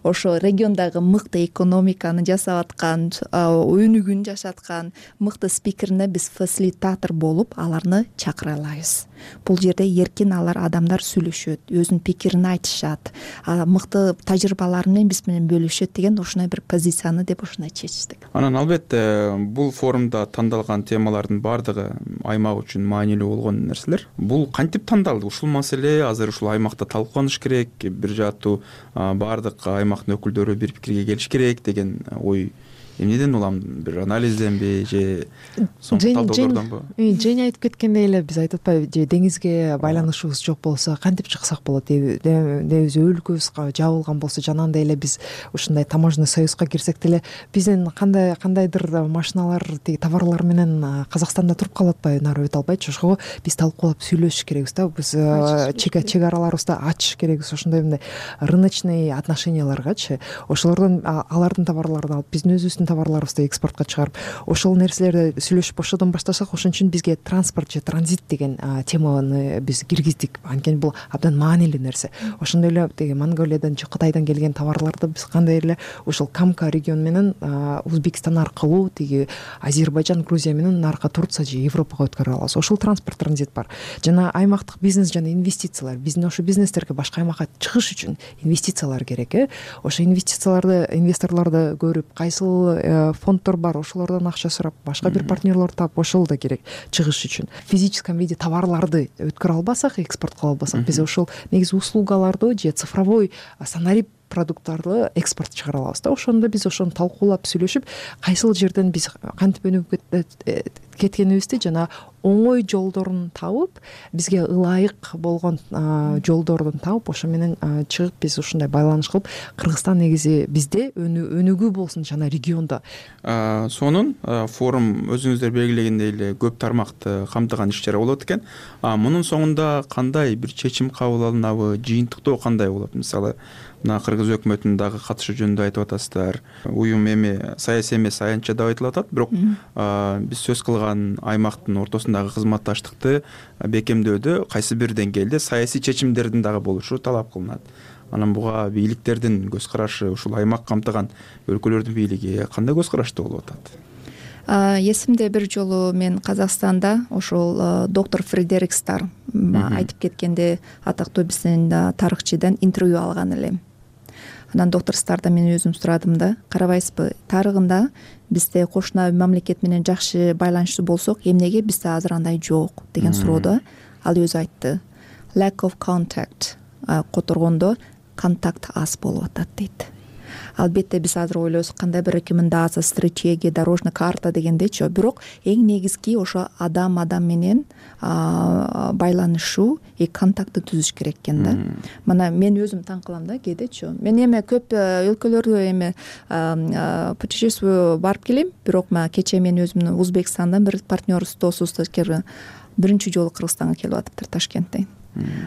Ошо региондогу мыкты экономиканы жасап аткан, өнүгүүнү жашаткан мыкты спикерине биз фасилитатор болуп аларны чакыра алабыз. Бул жерде эркин алар адамдар сүйлөшөт, өзүнүн пикирин айтышат, мыкты тажрыйбалары менен биз менен бөлүшөт деген ушундай бир позицияны деп ушундай чечтик. Анан албетте бул форумда тандалган темалардын баардыгы аймак үчүн маанилүү болгон нерселер. Бул кантип тандалды? Ушул маселе азыр ушул аймакта талкууланыш керек, бир жааттуу баардык аймактын өкүлдөрү бир пикирге келиш керек деген ой эмнеден улам? Бир анализденби же соңку талдоолордонбу? Жени айтып кеткендей эле биз айтып атпайбы, же деңизге байланышыбыз жок болсо кантип чыксак болот, дебиз, өлкөбүз жабылган болсо жанагындай эле биз ушундай таможенный союзга кирсек деле биздин кандай кандайдыр машиналар, тиги товарлар менен Казакстанда туруп калып атпайбы, нары өтө албайчы. Ошого биз талкуулап сүйлөшүш керекбиз да, биз чек араларыбызды ачыш керекбиз, ошондой мындай рыночный отношенияларгачы. Ошолордон алардын товарларын алып биздин өзүбүздүн товарларыбызды экспортко чыгарып, ошол нерселерди сүйлөшүп ошодон баштасак, ошон үчүн бизге транспорт же транзит деген теманы биз киргиздик. Анткени бул абдан маанилүү нерсе. Ошондой эле тиги Монголиядан же Кытайдан келген товарларды биз кандай эле ушул Камка регион менен Өзбекстан аркылуу тиги Азербайжан, Грузия менен наркы Турция же Европага өткөрө алабыз. Ошол транспорт транзит бар. Жана аймактык бизнес жана инвестициялар. Биздин ошо бизнестерге башка аймакка чыгыш үчүн инвестициялар керек, э. Ошо инвестицияларды, инвесторлорду көрүп, кайсыл фонддор бар, ошолордон акча сурап, башка бир партнерлор таап, ошол да керек чыгыш үчүн. В физическом виде товарларды өткөрө албасак, экспорт кыла албасак, биз ошол негизи услугаларды же цифровой санарип продукттарды экспорт чыгара алабыз да. Ошондо биз ошону талкуулап сүйлөшүп, кайсыл жерден биз кантип өнүгүп кеткенибизди жана оңой жолдорун табып, бизге ылайык болгон жолдордун табып, ошо менен чыгып биз ушундай байланыш кылып, Кыргызстан негизи бизде өнүгүү болсун жана региондо. Сонун форум өзүңүздөр белгилегендей эле көп тармакты камтыган иш чара болот экен. Мунун соңунда кандай бир чечим кабыл алынабы, жыйынтыктоо кандай болот? Мисалы, мына кыргыз өкмөтүнүн дагы катышы жөнүндө айтып атасыздар. Уюм эми саясий эмес, аянтча деп айтылып атат, бирок биз сөз кылган аймактын ортосундагы кызматташтыкты бекемдөөдө кайсы бир деңгээлде саясий чечимдердин дагы болушу талап кылынат. Анан буга бийликтердин көз карашы, ушул аймак камтыган өлкөлөрдүн бийлиги кандай көз карашта болуп атат? Эсимде бир жолу мен Казакстанда ошол доктор Фредерик Стар айтып кеткенде, атактуу биздин тарыхчыдан интервью алган элем. Анан доктор Стардан мен өзүм сурадым да, карабайсызбы, тарыгында бизде кошуна мамлекет менен жакшы байланыштуу болсок, эмнеге бизде азыр андай жок деген суроодо ал өзү айтты. Lack of contact, которгондо контакт аз болуп атат дейт. Албетте биз азыр ойлойбуз, кандай бир рекомендация, стратегия, дорожный карта дегендечи, бирок эң негизги ошо адам адам менен байланышуу и контактты түзүш керек экен да. Мына мен өзүм таң калам да кээдечи. Мен эми көп өлкөлөрдө эми путешествие барып келем, бирок кечээ мен өзүмдүн Өзбекстандан бир партнерибиз, досубуз биринчи жолу Кыргызстанга келип атыптыр, Ташкенттен.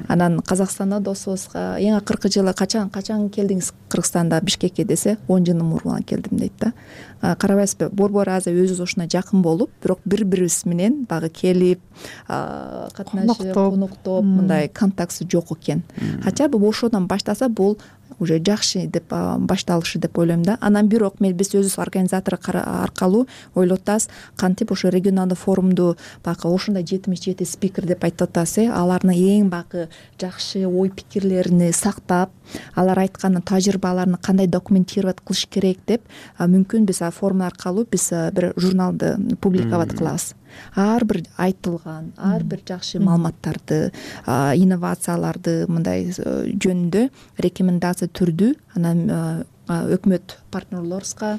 Анан Казакстанда досубузга эң акыркы жылы качан качан келдиңиз Кыргызстанда, Бишкекке десе, он жылдын мурун келдим дейт да. Карабайсызбы, борбор азыр өзүбүз ушуна жакын болуп, бирок бири-бирибиз менен дагы келип, катнашып, коноктоп, мындай контактсы жок экен. Хотя бы ошодон баштаса бул уже жакшы деп башталышы деп ойлойм да. Анан бирок мен биз өзүбүз организатор аркылуу ойлоп атабыз, кантип ошо регионалдык форумду бакы ушундай жетимиш жети спикер деп айтып атасыз, алардын эң бакы жакшы ой пикирлерин сактап, алар айткан тажрыйбаларын кандай документировать кылыш керек деп, мүмкүн биз форум аркылуу биз бир журналды публиковать кылабыз. Ар бир айтылган, ар бир жакшы маалыматтарды, инновацияларды мындай жөнүндө рекомендация түрдүү анан өкмөт партнерлорубузга,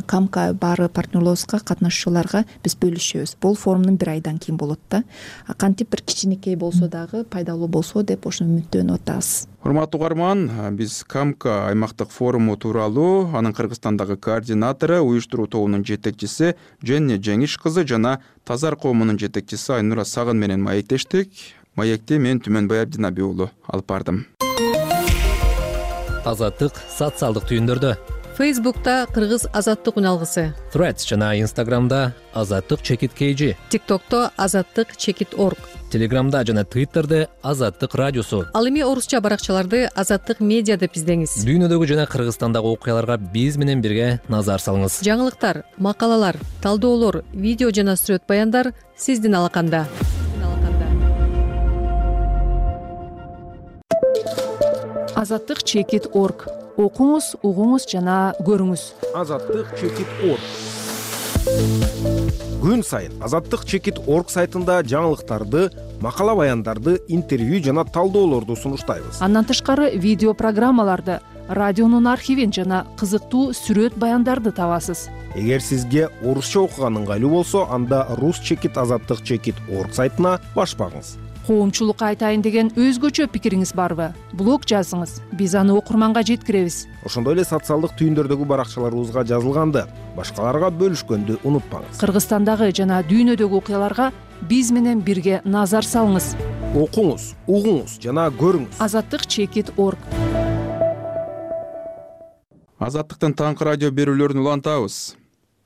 Камка баары партнерлорубузга, катнашуучуларга биз бөлүшөбүз. Бул форумдун бир айдан кийин болот да. Кантип бир кичинекей болсо дагы пайдалуу болсо деп ошону үмүттөнүп атабыз. Урматтуу угарман, биз Камка аймактык форуму тууралуу анын Кыргызстандагы координатору, уюштуруу тобунун жетекчиси Женне Жеңиш кызы жана Тазар коомунун жетекчиси Айнура Сагын менен маектештик. Маекти мен Түмөнбай Абдинабий уулу алып бардым. Азаттык социалдык түйүндөрдө Фейсбукта Кыргыз Азаттык үналгысы, Threads жана Instagramда Азаттык чекит kg, TikTokто Азаттык чекит орг, Телеграмда жана Twitterде Азаттык радиосу. Ал эми орусча баракчаларды Азаттык медиа деп издеңиз. Дүйнөдөгү жана Кыргызстандагы окуяларга биз менен бирге назар салыңыз. Жаңылыктар, макалалар, талдоолор, видео жана сүрөт баяндар сиздин алаканда. Азаттык чекит орг. Окуңуз, угуңуз жана көрүңүз. Азаттык чекит орг. Күн сайын Азаттык чекит орг сайтында жаңылыктарды, макала баяндарды, интервью жана талдоолорду сунуштайбыз. Андан тышкары видео программаларды, радионун архивин жана кызыктуу сүрөт баяндарды табасыз. Эгер сизге орусча окуган ыңгайлуу болсо, анда рус чекит азаттык чекит орг сайтына баш багыңыз. Коомчулукка айтайын деген өзгөчө пикириңиз барбы? Блог жазыңыз. Биз аны окурманга жеткиребиз. Ошондой эле социалдык түйүндөрдөгү баракчаларыбызга жазылганды, башкаларга бөлүшкөндү унутпаңыз. Кыргызстандагы жана дүйнөдөгү окуяларга биз менен бирге назар салыңыз. Окуңуз, угуңуз жана көрүңүз. Азаттык чекит орг. Азаттыктын таңкы радио берүүлөрүн улантабыз.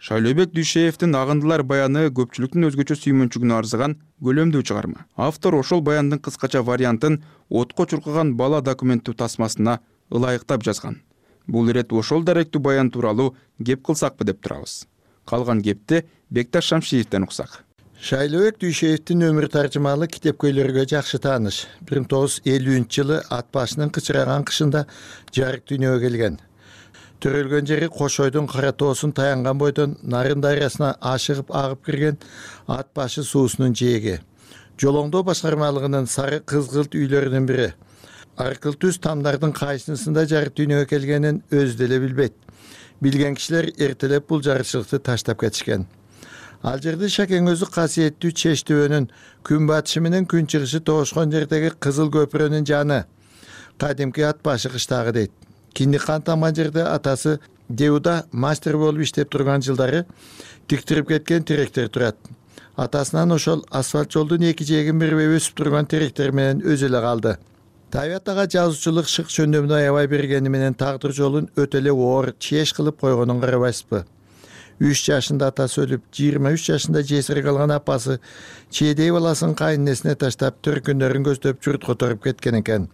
Шайлообек Дүйшеевдин Агындылар баяны көпчүлүктүн өзгөчө сүймөнчүгүнө арзыган көлөмдүү чыгарма. Автор ошол баяндын кыскача вариантын отко чуркаган бала документтүү тасмасына ылайыктап жазган. Бул ирет ошол даректүү баян тууралуу кеп кылсакпы деп турабыз. Калган кепти Бекташ Шамшиевден уксак. Шайлообек Дүйшеевдин өмүр таржымалуу китепкөйлөргө жакшы тааныш. бир миң тогуз жүз элүүнчү жылы ат башынын кычыраган кышында жарык дүйнөгө келген. Төрөлгөн жери Кошойдун Кара тоосун таянган бойдон Нарын дарыясына ашыгып агып кирген ат башы суусунун жээги. Жолоңдоо башкармалыгынын сары кызгылт үйлөрүнүн бири. Аркыл түз тамдардын кайсынысында жарык дүйнөгө келгенин өзү деле билбейт. Билген кишилер эртелеп бул жарычылыкты таштап кетишкен. Ал жерде Шакең өзү касиеттүү Чеч төбөнүн күн батышы менен күн чыгышы тоошкон жердеги Кызыл көпүрөнүн жаны. Кадимки ат башы кыштагы дейт. Кинди кан тамган жерде атасы Деуда мастер болуп иштеп турган жылдары тиктирип кеткен теректер турат. Атасынан ошол асфальт жолдун эки жээгин бирип өсүп турган теректер менен өзү эле калды. Табият ага жазуучулук шык чөндөмүнө аябай бергени менен тагдыр жолун өтө эле оор чеш кылып койгонун карабайсызбы? үч жашында атасы өлүп, жыйырма үч жашында жесир калган апасы чейдей баласын кайненесине таштап төркүндөрүн көздөп журт которуп кеткен экен.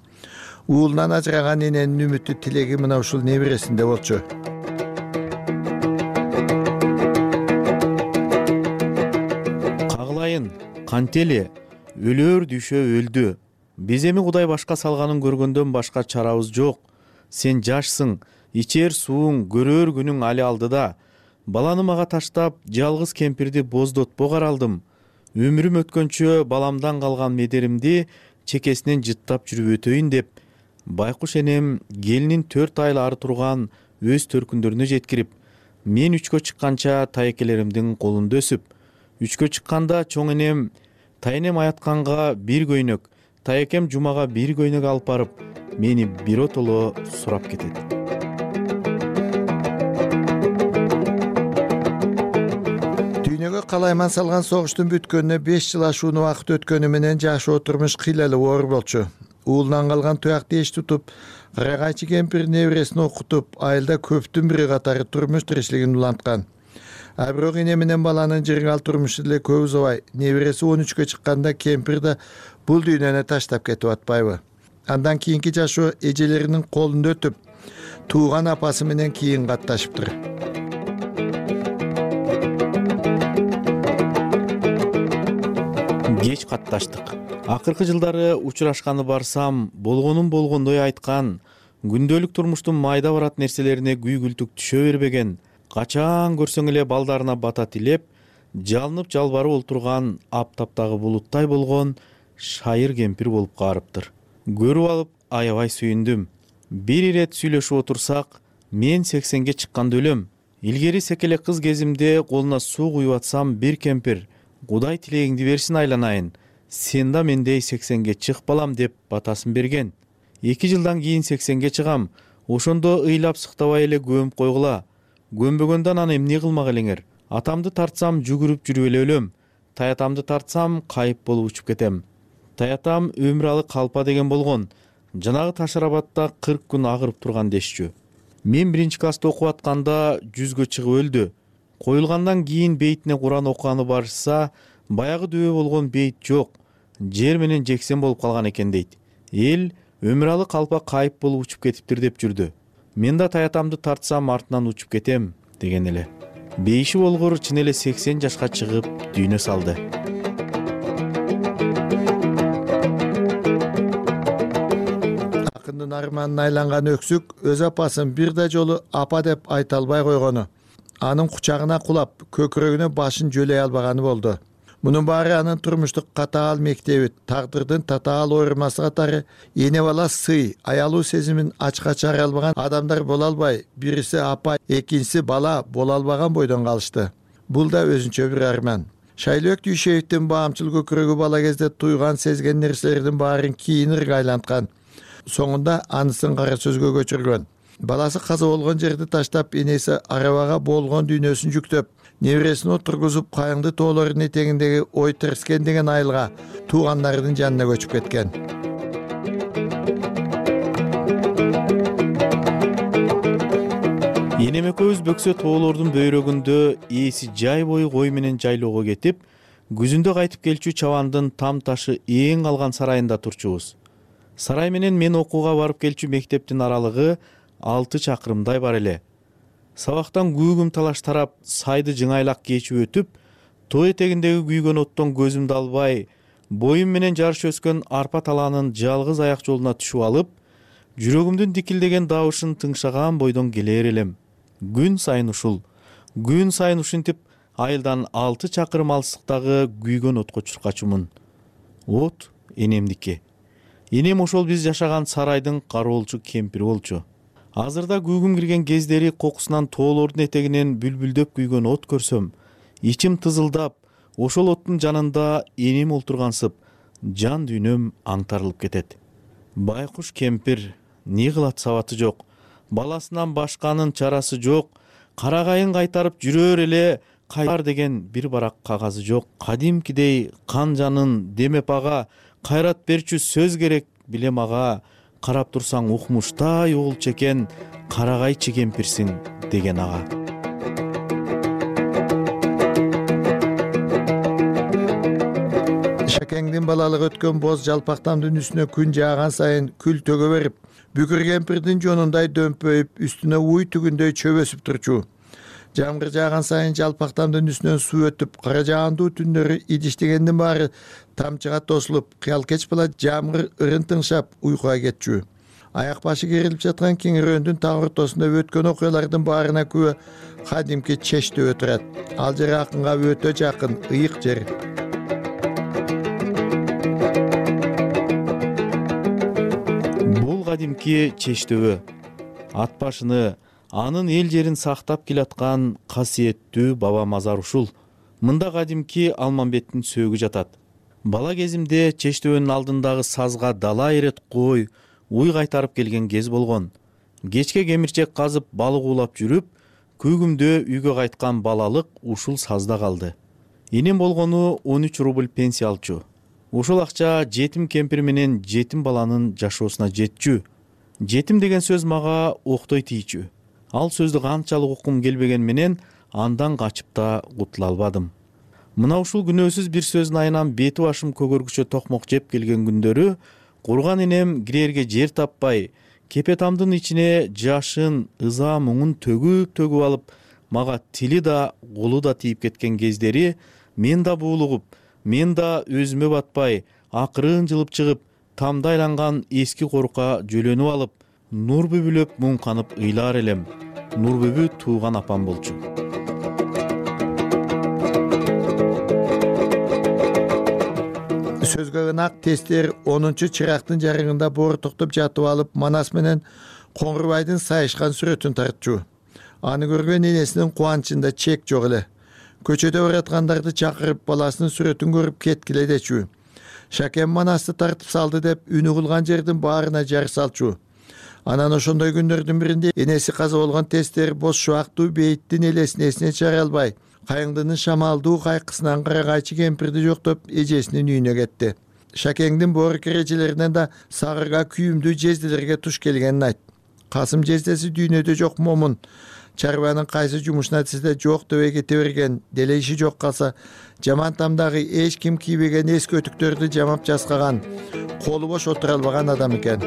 Уулунан ажыраган эненин үмүттүү тилеги мына ушул небересинде болчу. Кагылайын, кантели, өлөр Дүйшө өлдү. Биз эми Кудай башка салганын көргөндөн башка чарабыз жок. Сен жашсың, ичер сууң, көрөр күнүң али алдыда. Баланы мага таштап, жалгыз кемпирди боздотпо каралдым. Өмүрүм өткөнчө баламдан калган медеримди чекесинен жыттап жүрүп өтөйүн деп, байкуш энем келинин төрт ай ары турган өз төркүндөрүнө жеткирип, мен үчкө чыкканча тайекелеримдин колунда өсүп, үчкө чыкканда чоң энем тайенем аятканга бир көйнөк, тайекем жумага бир көйнөк алып барып, мени биротоло сурап кетет. Дүйнөгө калайман салган согуштун бүткөнүнө беш жыл ашууну убакыт өткөнү менен жашоо турмуш кыйлалуу оор болчу. Уулунан калган туякты эч тутуп, карагайчы кемпир небересин окутуп, айылда көптүн бири катары турмуш тиричилигин уланткан. А бирок эне менен баланын жыргал турмушу деле көп узабай, небереси он үчкө чыкканда кемпир да бул дүйнөнү таштап кетип атпайбы? Андан кийинки жашоо эжелеринин колунда өтүп, тууган апасы менен кийин катташыптыр. Кеч катташтык. Акыркы жылдары учурашканы барсам, болгонун болгондой айткан, күндөлүк турмуштун майда барат нерселерине күйгүлтүк түшө бербеген, качан көрсөң эле балдарына бата тилеп, жалынып жалбарып олтурган аптаптагы булуттай болгон шайыр кемпир болуп каарыптыр. Көрүп алып аябай сүйүндүм. Бир ирет сүйлөшүп отурсак, мен сексенге чыкканда өлөм. Илгери секеле кыз кезимде колуна суу куюп атсам, бир кемпир Кудай тилегиңди берсин айланайын, сен да мендей сексенге чык балам деп батасын берген. Эки жылдан кийин сексенге чыгам, ошондо ыйлап сыктабай эле көмүп койгула. Көмбөгөндөн аны эмне кылмак элеңер? Атамды тартсам жүгүрүп жүрүп эле өлөм. Таятамды тартсам кайып болуп учуп кетем. Таятам өмүр алы калпа деген болгон. Жанагы Ташарабатта кырк күн агырып турган дешчү. Мен биринчи класста окуп атканда жүзгө чыгып өлдү. Коюлгандан кийин бейтине Куран окуганы барышса, баягы дөбө болгон бейт жок, жер менен жексен болуп калган экен дейт. Эл өмүралы калпа кайып болуп учуп кетиптир деп жүрдү. Мен да таятамды тартсам артынан учуп кетем деген эле. Бейиши болгор чын эле сексен жашка чыгып дүйнө салды. Акындын арманына айланган өксүк өз апасын бир да жолу апа деп айта албай койгону, анын кучагына кулап, көкүрөгүнө башын жөлөй албаганы болду. Мунун баары анын турмуштук катаал мектеби, тагдырдын татаал ойрмасы катары эне бала сый, аялуу сезимин ачка чыгара албаган адамдар боло албай, бириси апа, экинчиси бала боло албаган бойдон калышты. Бул да өзүнчө бир арман. Шайлөөк Дүйшеевдин баамчыл көкүрөгү бала кезде туйган сезген нерселердин баарын кийин ыргайланткан. Соңунда анысын кара сөзгө көчүргөн. Баласы каза болгон жерди таштап, энеси арабага болгон дүйнөсүн жүктөп, небересин отургузуп, кайыңды тоолордун этегиндеги ой тирскен деген айылга туугандарынын жанына көчүп кеткен. Энем экөөбүз бөксө тоолордун бөйрөгүндө ээси жай бою кой менен жайлоого кетип, күзүндө кайтып келчү чабандын там ташы эң калган сарайында турчубуз. Сарай менен мен окууга барып келчү мектептин аралыгы алты чакырымдай бар эле. Сабактан күүгүм талаш тарап, сайды жыңайлак кечип өтүп, тоо этегиндеги күйгөн оттон көзүмдү албай, боюм менен жарыш өскөн арпа талаанын жалгыз аяк жолуна түшүп алып, жүрөгүмдүн дикилдеген дабышын тыңшаган бойдон келер элем. Күн сайын ушул, күн сайын ушинтип айылдан алты чакырым алыстыктагы күйгөн отко чуркачумун. От энемдики. Энем ошол биз жашаган сарайдын кароолчу кемпири болчу. Азырда күүгүм кирген кездери кокусунан тоолордун этегинен бүлбүлдөп күйгөн от көрсөм, ичим тызылдап, ошол оттун жанында энем олтургансып, жан дүйнөм аңтарылып кетет. Байкуш кемпир, не кылат сабаты жок, баласынан башканын чарасы жок, карагайын кайтарып жүрөр эле кайтар деген бир барак кагазы жок. Кадимкидей кан жанын демеп ага, кайрат берчү сөз керек билем ага, карап турсаң укмуштай угулчу экен, карагайчы кемпирсиң деген ага. Шакеңдин балалыгы өткөн боз жалпактамдын үстүнө күн жааган сайын күл төгө берип, бүкүр кемпирдин жонундай дөмпөйүп, үстүнө уй түгүндөй чөп өсүп турчу. Жамгыр жааган сайын жалпактамдын үстүнөн суу өтүп, кара жаандуу түндөрү идиштегендин баары тамчыга тосулуп, кыялкеч бала жамгыр ырын тыңшап уйкуга кетчү. Аяк башы керилип жаткан кеңирөөндүн так ортосунда өткөн окуялардын баарына күбө кадимки чештөө турат. Ал жер акынга өтө жакын, ыйык жер. Бул кадимки чештөө ат башыны, анын эл жерин сактап келаткан касиеттүү баба мазар ушул. Мында кадимки Алмамбеттин сөөгү жатат. Бала кезимде чештөөнүн алдындагы сазга дала ирет кой уй кайтарып келген кез болгон. Кечке кемирчек казып балык уулап жүрүп, күүгүмдө үйгө кайткан балалык ушул сазда калды. Энем болгону он үч рубль пенсия алчу. Ушул акча жетим кемпир менен жетим баланын жашоосуна жетчү. Жетим деген сөз мага октой тийчү. Ал сөздү канчалык уккум келбеген менен андан качып да кутула албадым. Мына ушул күнөөсүз бир сөздүн айынан бети башым көгөргүчө токмок жеп келген күндөрү курган энем кирерге жер таппай, кепетамдын ичине жашын, ыза муңун төгүп-төгүп алып, мага тили да, колу да тийип кеткен кездери мен да буулугуп, мен да өзүмө батпай, акырын жылып чыгып, тамда айланган эски корукка жөлөнүп алып, нур бүбүлөп муңканып ыйлар элем. Нур бүбү тууган апам болчу. Сөзгө ынак тестер онунчу чырактын жарыгында боор токтоп жатып алып, Манас менен Коңгурбайдын сайышкан сүрөтүн тартчу. Аны көргөн энесинин кубанычында чек жок эле. Көчөдө бараткандарды чакырып, баласынын сүрөтүн көрүп кеткиле дечү. Шакем Манасты тартып салды деп үнү кылган жердин баарына жар салчу. Анан ошондой күндөрдүн биринде энеси каза болгон тестер боз шубактуу бейиттин элесин эсине чыгара албай, кайыңдынын шамалдуу кайкысынан карагайчы кемпирди жоктоп эжесинин үйүнө кетти. Шакеңдин боор кережелеринен да сагырга күйүмдүү жездилерге туш келгенин айт. Касым жездеси дүйнөдө жок момун. Чарбанын кайсы жумушуна тизде жок деп кете берген, деле иши жок калса жаман тамдагы эч ким кийбеген эски өтүктөрдү жамап жаскаган, колу бош отура албаган адам экен.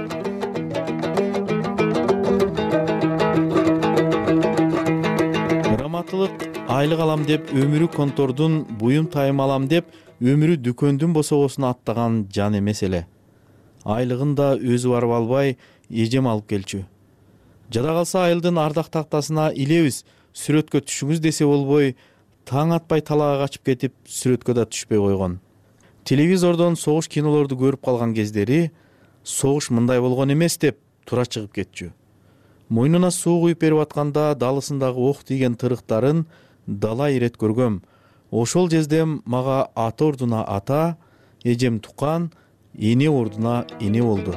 Раматылык айлык алам деп өмүрү контордун, буюм тайым алам деп өмүрү дүкөндүн босогосуна аттаган жан эмес эле. Айлыгын да өзү барып албай, эжем алып келчү. Жада калса айылдын ардак тактасына илебиз, сүрөткө түшүңүз десе болбой, таң атпай талаага качып кетип, сүрөткө да түшпөй койгон. Телевизордон согуш кинолорду көрүп калган кездери согуш мындай болгон эмес деп тура чыгып кетчү. Мойнуна суу куюп берип атканда далысындагы ок тийген тырыктарын дала ирет көргөм. Ошол жездем мага ата ордуна ата, эжем тукан, эне ордуна эне болду.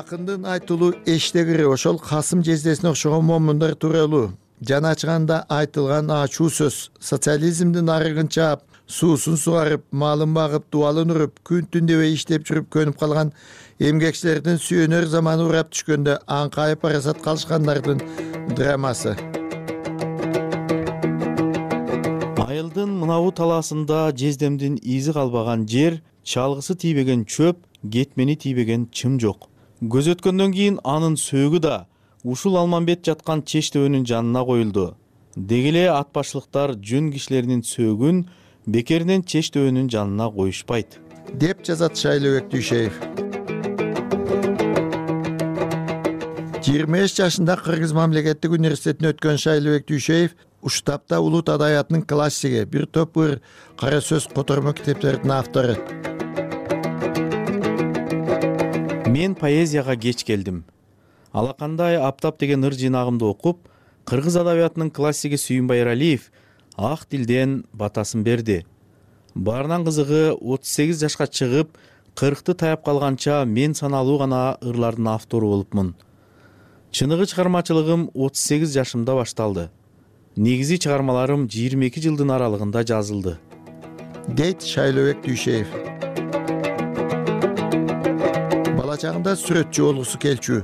Акындын айтылуу эштегири ошол Касым жездесине окшогон момундар тууралуу. Жаны ачыганда айтылган ачуу сөз. Социализмдин арыгын чаап, суусун сугарып, малын багып, дубалын уруп, күн түн дебей иштеп жүрүп көнүп калган эмгекчилердин сүйөнөр заманы урап түшкөндө аңкайып парасат калышкандардын драмасы. Айылдын мынабу талаасында жездемдин изи калбаган жер, чалгысы тийбеген чөп, кетмени тийбеген чым жок. Көз өткөндөн кийин анын сөөгү да ушул Алмамбет жаткан Чештөбөнүн жанына коюлду. Дегеле ат башлыктар жөн кишилеринин сөөгүн бекеринен Чештөбөнүн жанына коюшпайт, деп жазат Шайлообек Дүйшеев. жыйырма беш жашында Кыргыз мамлекеттик университетине өткөн Шайлообек Дүйшеев Уштапта улут адабиятынын классиги, бир топ ыр кара сөз котормо китептердин автору. Мен поэзияга кеч келдим. Алакандай аптап деген ыр жыйнагымды окуп, Кыргыз адабиятынын классиги Сүйүнбай Эралиев ак тилден батасын берди. Баарынан кызыгы отуз сегиз жашка чыгып, кыркты таяп калганча мен саналуу гана ырлардын автору болупмун. Чыныгы чыгармачылыгым отуз сегиз жашымда башталды. Негизи чыгармаларым жыйырма эки жылдын аралыгында жазылды, дейт Шайлообек Дүйшеев. Бала чагында сүрөтчү болгусу келчү.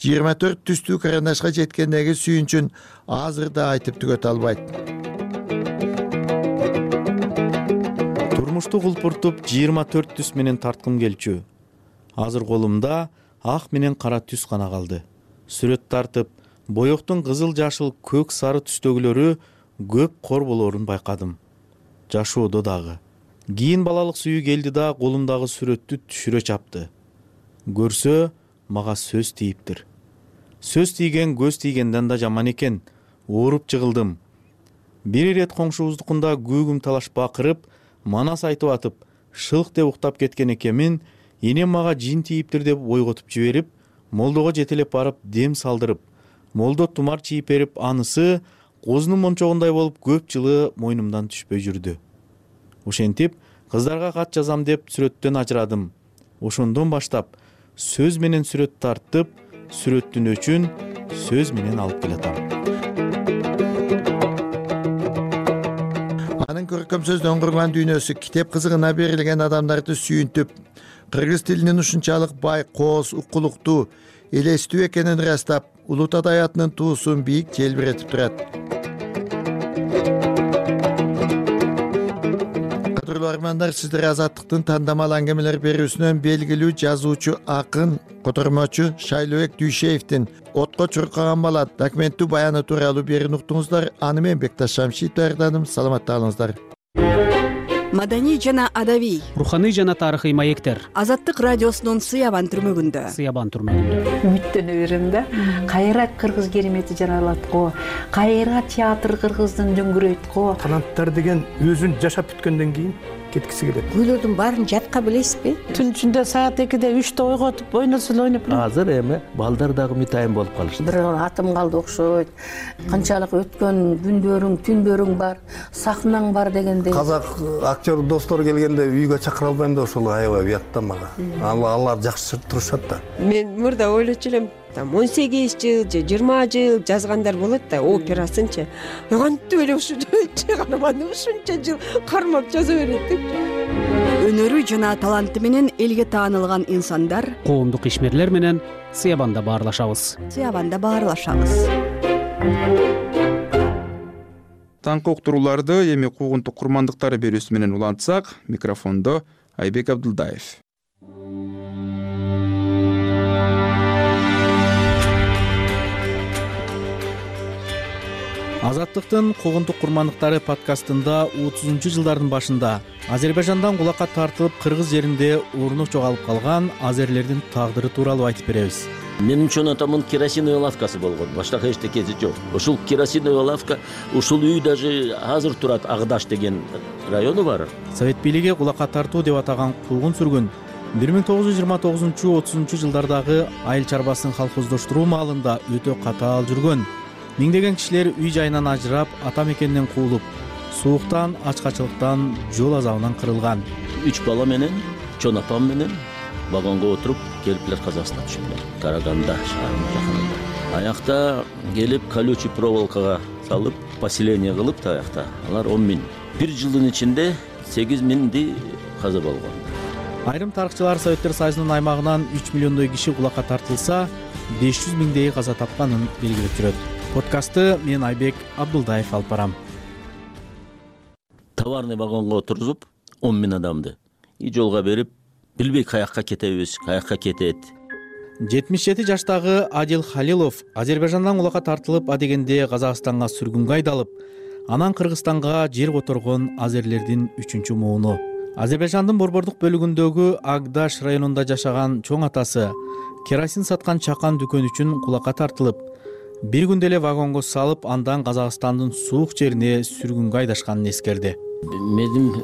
жыйырма төрт түстүү карандашка жеткендеги сүйүнчүн азыр да айтып түгөтө албайт. Турмушту кулпуртуп жыйырма төрт түс менен тарткым келчү. Азыр колумда ак менен кара түс гана калды. Сүрөт тартып, боектун кызыл, жашыл, көк, сары түстөгүлөрү көп кор болорун байкадым. Жашоодо дагы. Кийин балалык сүйүү келди да колумдагы сүрөттү түшүрө чапты. Көрсө, мага сөз тийиптир. Сөз тийген көз тийгенден да жаман экен. Ооруп жыгылдым. Бир ирет коңшубуздукунда күүгүм талаш бакырып, манас айтып атып, шылк деп уктап кеткен экемин, энем мага жин тийиптир деп ойготуп жиберип, молдого жетелеп барып дем салдырып, молдо тумар чийип берип, анысы козунун мончогундай болуп көп жылы мойнумдан түшпөй жүрдү. Ошентип, кыздарга кат жазам деп сүрөттөн ажырадым. Ошондон баштап сөз менен сүрөт тартып, сүрөттүн өчүн сөз менен алып келатам. Анын көркөм сөздөн курган дүйнөсү китеп кызыгына берилген адамдарды сүйүнтүп, кыргыз тилинин ушунчалык бай, кооз, укулуктуу, элестүү экенин ырастап, улут адабиятынын туусун бийик желбиретип турат. Кадырлуу армандар, сиздер Азаттыктын тандамал аңгемелер берүүсүнөн белгилүү жазуучу, акын, котормочу Шайлообек Дүйшеевдин «Отко чуркаган бала» документтүү баяны тууралуу берүүнү уктуңуздар. Аны мен Бекташ Шамшиев даярдадым. Саламатта калыңыздар. Маданий жана адабий, руханий жана тарыхый маектер. Азаттык радиосунун Сыябан түрмөгүндө. Сыябан түрмөгүндө. Үмүттөнө берем да. Кайра кыргыз керемети жаралат го. Кайра театр кыргыздын дөңгүрөйт го. Таланттар деген өзүн жашап бүткөндөн кийин кеткиси келет. Күйлөрдүн баарын жатка билесизби? Түн ичинде саат экиде үчтө ойготуп, ойносун ойноп. Азыр эми балдар дагы митайым болуп калышты. Бир атым калды окшойт. Канчалык өткөн күндөрүң, түндөрүң бар, сахнаң бар дегендей. Казак актер достор келгенде үйгө чакыра албайм да, ошол аябай уят да мага. Алар жакшы турушат да. Мен мурда ойлочу элем, он сегиз жыл же жыйырма жыл жазгандар болот да, операсынчы. Кантип эле ушунча ушунча жыл кармап жаза берет деп. өнөрү жана таланты менен элге таанылган инсандар коомдук ишмерлер менен Сыябанда баарлашабыз. Сыябанда баарлашабыз. Таңкы уктурууларды эми куугунтук курмандыктары берүүсү менен улантсак, микрофондо Айбек Абдылдаев. Азаттыктын куугунтук курмандыктары подкастында отузунчу жылдардын башында Азербайжандан кулакка тартылып кыргыз жеринде орну жоголуп калган азерлердин тагдыры тууралуу айтып беребиз. Менин чоң атамдын керосиновый лавкасы болгон, башка эчтекеси жок. Ушул керосиновый лавка, ушул үй даже азыр турат, Агдаш деген району бар. Совет бийлиги кулакка тартуу деп атаган куугун сүргүн бир миң тогуз жүз жыйырма тогузунчу отузунчу жылдардагы айыл чарбасын колхоздоштуруу маалында өтө катаал жүргөн. Миңдеген кишилер үй жайынан ажырап, ата мекенинен куулуп, сууктан, ачкачылыктан, жол азабынан кырылган. Үч бала менен, чоң апам менен вагонго отуруп келиплер Казакстанга түшүптүр. Караганда шаарынын жакынында. Аякта келип колючий проволокага салып, поселение кылып таякта. Алар он миң. Бир жылдын ичинде сегиз миңди каза болгон. Айрым тарыхчылар Советтер Союзунун аймагынан үч миллиондой киши кулакка тартылса, беш жүз миңдей каза тапканын белгилеп жүрөт. Подкастты мен Айбек Абдылдаев алып барам. Товарный вагонго отургузуп он миң адамды и жолго берип, билбей каякка кетебиз, каякка кетет. жетимиш жети жаштагы Адил Халилов Азербайжандан кулакка тартылып, адегенде Казакстанга сүргүнгө айдалып, анан Кыргызстанга жер которгон азерлердин үчүнчү мууну. Азербайжандын борбордук бөлүгүндөгү Агдаш районунда жашаган чоң атасы керосин саткан чакан дүкөн үчүн кулакка тартылып, бир күндө эле вагонго салып, андан Казакстандын суук жерине сүргүнгө айдашканын эскерди. Менин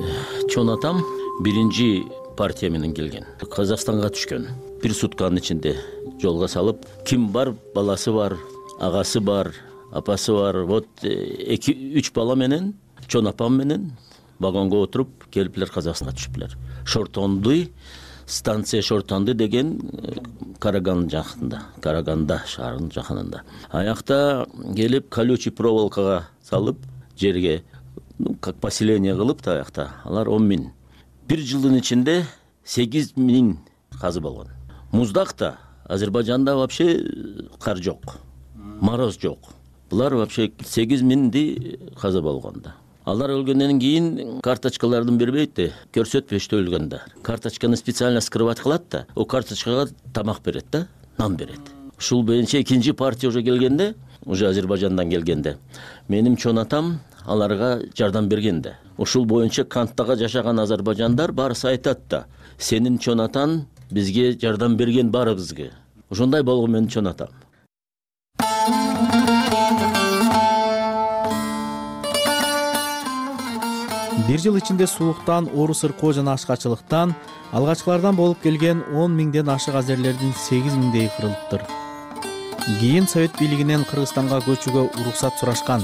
чоң атам биринчи партия менен келген. Казакстанга түшкөн. Бир сутканын ичинде жолго салып, ким бар, баласы бар, агасы бар, апасы бар. Вот эки үч бала менен, чоң апам менен вагонго отуруп келиплер Казакстанга түшүптүр. Шортондуй станция Шортонду деген Караган жакында, Караганда шаарынын жакынында. Аякта келип колючий проволокага салып, жерге ну как поселение кылып таякта. Алар он миң. Бир жылдын ичинде сегиз миң казы болгон. Муздакта Азербайжанда вообще кар жок. Мороз жок. Булар вообще сегиз миңди каза болгонда. Алар өлгөндөн кийин карточкалардын бербейт да, көрсөтпөйт өлгөндө. Карточканы специально скрывать кылат да, о карточкага тамак берет да, нан берет. Ушул боюнча экинчи партия уже келгенде, уже Азербайжандан келгенде, менин чоң атам аларга жардам берген да. Ушул боюнча канттага жашаган азербайжандар барысы айтат да, сенин чоң атаң бизге жардам берген баарыбызга. Ошондой болгон менин чоң атам. Бир жыл ичинде сууктан, оору сыркоо жана ачкачылыктан алгачкылардан болуп келген он миңден ашык азерлердин сегиз миңдеги кырылыптыр. Кийин Совет бийлигинен Кыргызстанга көчүүгө уруксат сурашкан.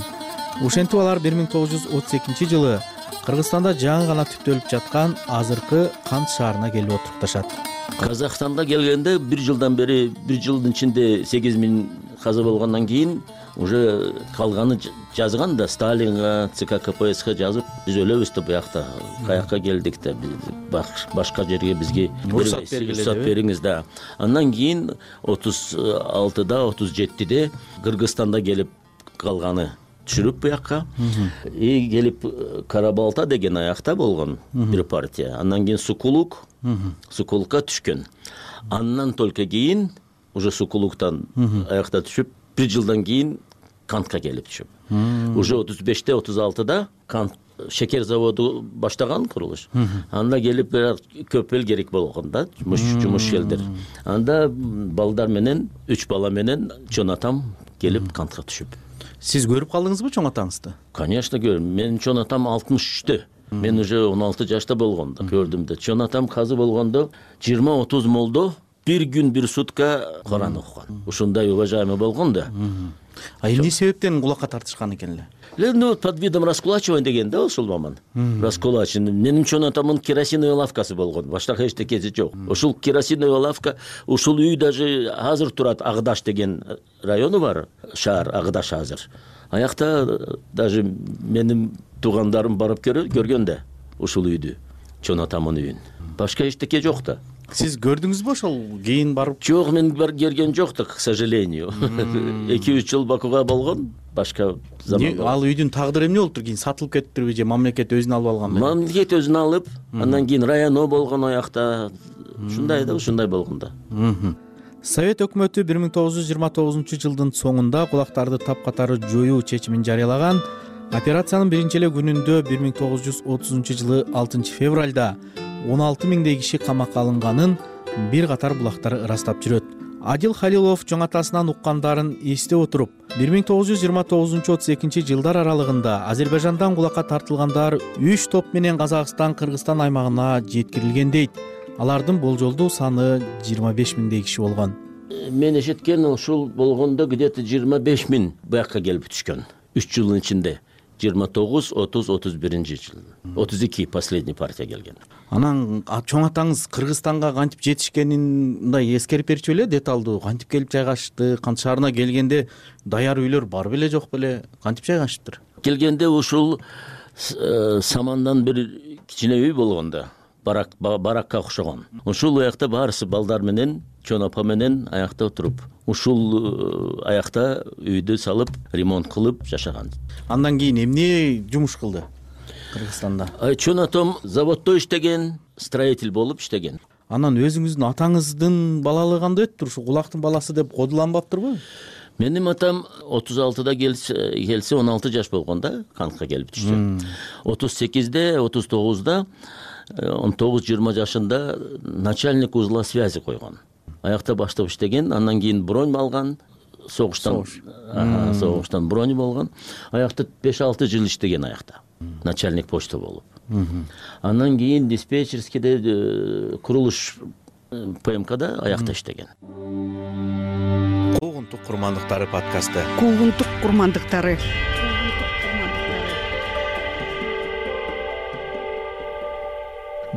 Ошентип алар бир миң тогуз жүз отуз экинчи жылы Кыргызстанда жаңы гана түптөлүп жаткан азыркы Кант шаарына келип отурупташат. Казакстанда келгенде бир жылдан бери, бир жылдын ичинде сегиз миң каза болгондон кийин уже калганы жазган да, Сталинга, ЦК КПСС жазып, биз өлөбүз да буякта, каякка келдик да, башка жерге бизге уруксат бериңиз да. Андан кийин отуз алтыда, отуз жетиде Кыргызстанда келип калганы түшүрүп буякка. И келип Карабалта деген аякта болгон бир партия. Андан кийин Сукулук, Сукулукка түшкөн. Андан только кийин уже Сукулуктан аякта түшүп, бир жылдан кийин Кантка келип түшүп. Уже отуз беште, отуз алтыда Кант шекер заводу баштаган курулуш. Анда келип көп эл керек болгон да, жумуш элдер. Анда балдар менен, үч бала менен чоң атам келип Кантка түшүп. Сиз көрүп калдыңызбы чоң атаңызды? Конечно көрдүм. Менин чоң атам алтымыш үчтө. Мен уже он алты жашта болгондо көрдүм да. Чоң атам казы болгондо жыйырма отуз молдо бир күн бир сутка Куран окуган. Ушундай уважаемый болгон да. А эмне себептен кулакка тартышкан экен эле? Ну, под видом раскулачивания деген да, ушул маман. Раскулачивание. Менин чоң атамдын керосиновый лавкасы болгон. Башка эчтекеси жок. Ушул керосиновый лавка, ушул үй даже азыр турат, Агдаш деген району бар, шаар Агдаш азыр. Аякта даже менин туугандарым барып көргөн да ушул үйдү. чоң атамдын үйүн. Башка эчтеке жок да. Сиз көрдүңүзбү ошол кийин барып? Жок, мен келген жок да, к сожалению. эки үч жыл Бакуга болгон, башка заман. Ал үйдүн тагдыры эмне болуптур? Кийин сатылып кетиптирби же мамлекет өзүнө алып алганбы? Мамлекет өзүнө алып, андан кийин районо болгон аякта. Ушундай да, ушундай болгон да. Совет өкмөтү бир миң тогуз жүз жыйырма тогузунчу жылдын соңунда кулактарды тапкатары жоюу чечимин жарыялаган. Операциянын биринчи эле күнүндө бир миң тогуз жүз отузунчу жылы алтынчы февралда он алты миңдей киши камакка алынганын бир катар булактар ырастап жүрөт. Адил Халилов чоң атасынан уккандарын эстеп отуруп, бир миң тогуз жүз жыйырма тогузунчу отуз экинчи жылдар аралыгында Азербайжандан кулакка тартылгандар үч топ менен Казакстан, Кыргызстан аймагына жеткирилген дейт. Алардын болжолдуу саны жыйырма беш миңдей киши болгон. Мен эшиткен ушул болгондо где-то жыйырма беш миң буякка келип түшкөн. үч жылдын ичинде. жыйырма тогуз, отуз, отуз биринчи жыл. отуз эки последний партия келген. Анан чоң атаңыз Кыргызстанга кантип жетишкенин мындай эскерип берчү беле, деталдуу кантип келип жайгашты, кант шаарына келгенде даяр үйлөр бар беле, жок беле, кантип жайгашыптыр? Келгенде ушул самандан бир кичине үй болгон да, барак баракка окшогон. Ушул аякта баарысы балдар менен, чоң апа менен аякта отуруп, ушул аякта үйдү салып, ремонт кылып жашаган. Андан кийин эмне жумуш кылды Кыргызстанда? Чоң атам заводдо иштеген, строитель болуп иштеген. Анан өзүңүздүн атаңыздын балалыгы кандай өттүр? Ушу кулактын баласы деп кодуланбаптырбы? Менин атам отуз алтыда келсе, он алты жаш болгондо кантка келип түштү. отуз сегизде, отуз тогузда, он тогуз жыйырма жашында начальник узла связи койгон. Аякта баштап иштеген, андан кийин бронь алган, согуштан согуштан бронь болгон. Аякта беш алты жыл иштеген аякта. Начальник почта болуп. Андан кийин диспетчерскийде, курулуш ПМКда аякта иштеген. Куугунтук курмандыктары подкасты. Куугунтук курмандыктары.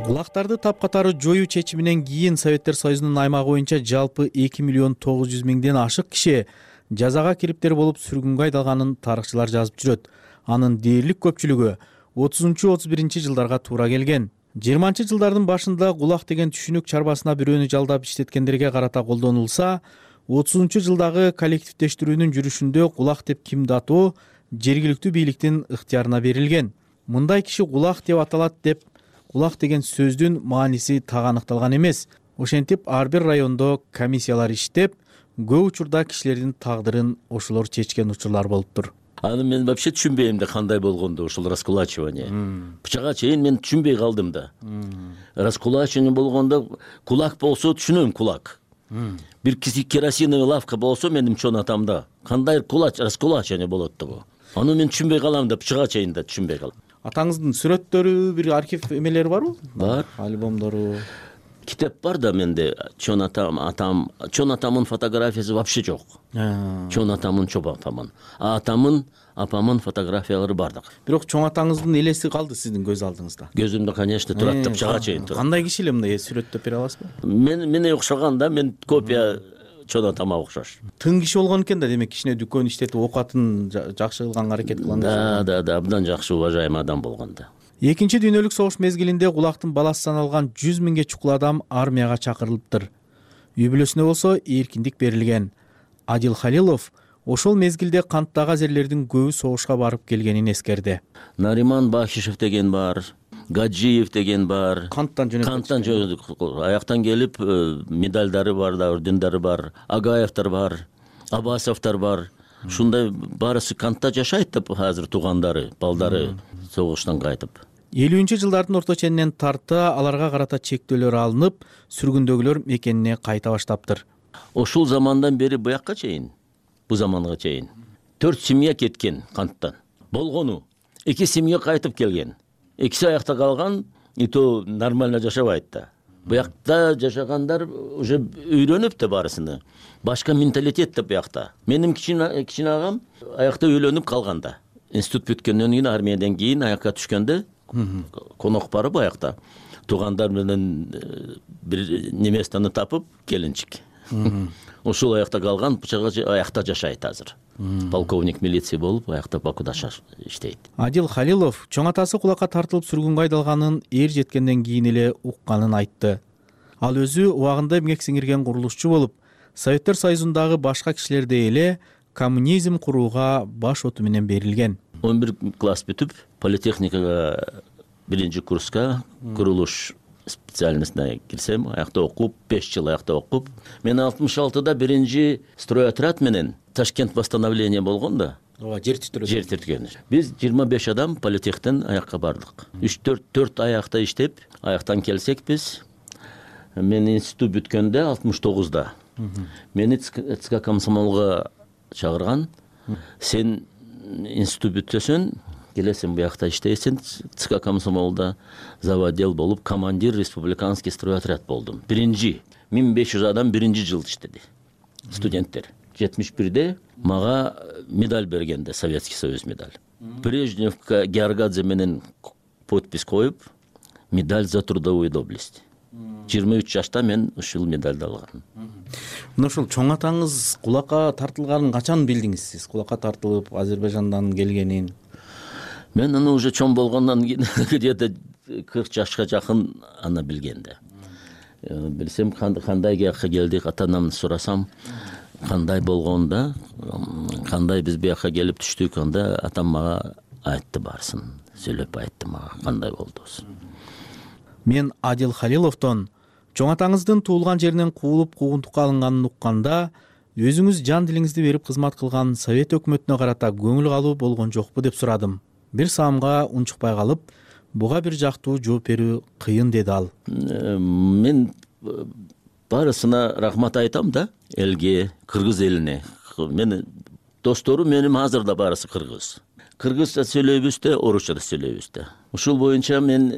Кулактарды тапкатары жоюу чечиминен кийин Советтер Союзунун аймагы боюнча жалпы эки миллион тогуз жүз миңден ашык киши жазага кириптер болуп сүргүнгө айдалганын тарыхчылар жазып жүрөт. Анын дээрлик көпчүлүгү отузунчу отуз биринчи жылдарга туура келген. жыйырманчы жылдардын башында кулак деген түшүнүк чарбасына бирөөнү жалдап иштеткендерге карата колдонулса, отузунчу жылдагы коллективдештирүүнүн жүрүшүндө кулак деп кимди атоо жергиликтүү бийликтин ыктыярына берилген. Мындай киши кулак деп аталат деп кулак деген сөздүн мааниси так аныкталган эмес. Ошентип ар бир райондо комиссиялар иштеп, көп учурда кишилердин тагдырын ошолор чечкен учурлар болуптур. Аны мен вообще түшүнбөйм да кандай болгондо ушул раскулачивание. Бычага чейин мен түшүнбөй калдым да. Раскулачивание болгондо кулак болсо түшүнөм, кулак. Бир киси керосиновый лавка болсо менин чоң атамда кандай кулач раскулачивание болот да бу. Аны мен түшүнбөй калам да, бычага чейин да түшүнбөй калам. Атаңыздын сүрөттөрү, бир архив эмелери барбы? Бар. Альбомдору. Китеп бар да менде. Чоң атам, атам, чоң атамдын фотографиясы вообще жок. Чоң атамдын чоң апамын. А атамдын, апамдын фотографиялары бардык. Бирок чоң атаңыздын элеси калды сиздин көз алдыңызда. Көзүмдө, конечно, турат да, бычага чейин турат. Кандай киши эле мындай сүрөттөп бере аласызбы? Мен мене окшогон да, мен копия чоң атама окшош. Тың киши болгон экен да, демек кичине дүкөн иштетип окуатын жакшы кылганга аракет кылган. Да, да, да, абдан жакшы уважаемый адам болгон да. Экинчи дүйнөлүк согуш мезгилинде кулактын баласы саналган жүз миңге чукул адам армияга чакырылыптыр. Үй бүлөсүнө болсо эркиндик берилген. Адил Халилов ошол мезгилде канттагы азерлердин көбү согушка барып келгенин эскерди. Нариман Бахишев деген бар, Гаджиев деген бар. Канттан жөнөп Канттан жөнөп, аяктан келип, медалдары бар да, ордендери бар, Агаевтер бар, Абасовтар бар. Ушундай барысы кантта жашайт деп азыр туугандары, балдары согуштан кайтып. элүүнчү жылдардын орто ченинен тарта аларга карата чектөөлөр алынып, сүргүндөгүлөр мекенине кайта баштаптыр. Ошол замандан бери буякка чейин, бу заманга чейин төрт семья кеткен канттан. Болгону эки семья кайтып келген. Экиси аякта калган, и то нормально жашабайт да. Буякта жашагандар уже үйрөнүп да барысыны. Башка менталитет да буякта. Менин кичине кичине агам аякта үйлөнүп калган да. Институт бүткөндөн кийин, армиядан кийин аякка түшкөндө конок барып аякта туугандар менен бир неместаны тапып келинчик. ушул аякта калган, бычагы аякта жашайт азыр. Полковник милиция болуп, аякта Бакуда иштейт. Адил Халилов чоң атасы кулакка тартылып сүргүнгө айдалганын эр жеткенден кийин эле укканын айтты. Ал өзү убагында эмгек сиңирген курулушчу болуп, Советтер Союзундагы башка кишилердей эле коммунизм курууга баш оту менен берилген. он бир класс бүтүп, политехникага биринчи курска курулуш специальностуна кирсем, аякта окуп, беш жыл аякта окуп, мен алтымыш алтыда биринчи стройотряд менен Ташкент восстановление болгон да. Ооба, жер титирген. Жер титирген. Биз жыйырма беш адам политехтен аякка бардык. үч төрт аякта иштеп, аяктан келсек биз, мен институт бүткөндө алтымыш тогузда. Мени ЦК комсомолго чакырган. Сен институт бүтөсөң, келесиң буякта иштейсиң, ЦК комсомолда заводдел болуп, командир республиканский стройотряд болдум. Биринчи миң беш жүз адам биринчи жыл иштеди. Студенттер. жетимиш бирде мага медаль бергенде, Советский Союз медаль. Брежневка Георгадзе менен подпись коюп, медаль за трудовую доблесть. жыйырма үч жашта мен ушул медальды алгам. Мына ушул чоң атаңыз кулакка тартылганын качан билдиңиз сиз? Кулакка тартылып Азербайжандан келгенин? Мен аны уже чоң болгондон кийин где-то кырк жашка жакын аны билгенде. Билсем кандай жакка келдик, ата-анамды сурасам, кандай болгонда, кандай биз буякка келип түштүк, анда атам мага айтты барсын, сүйлөп айтты мага кандай болдубуз. Мен Адил Халиловдон чоң атаңыздын туулган жеринен куулуп куугунтукка алынганын укканда, өзүңүз жан дилиңизди берип кызмат кылган Совет өкмөтүнө карата көңүл калуу болгон жокпу деп сурадым. Бир саамга унчукпай калып, буга бир жактуу жооп берүү кыйын деди ал. Мен барысына рахмат айтам да, элге, кыргыз элине. Мен досторум менин азыр да барысы кыргыз. Кыргызча сүйлөйбүз да, орусча да сүйлөйбүз да. Ушул боюнча мен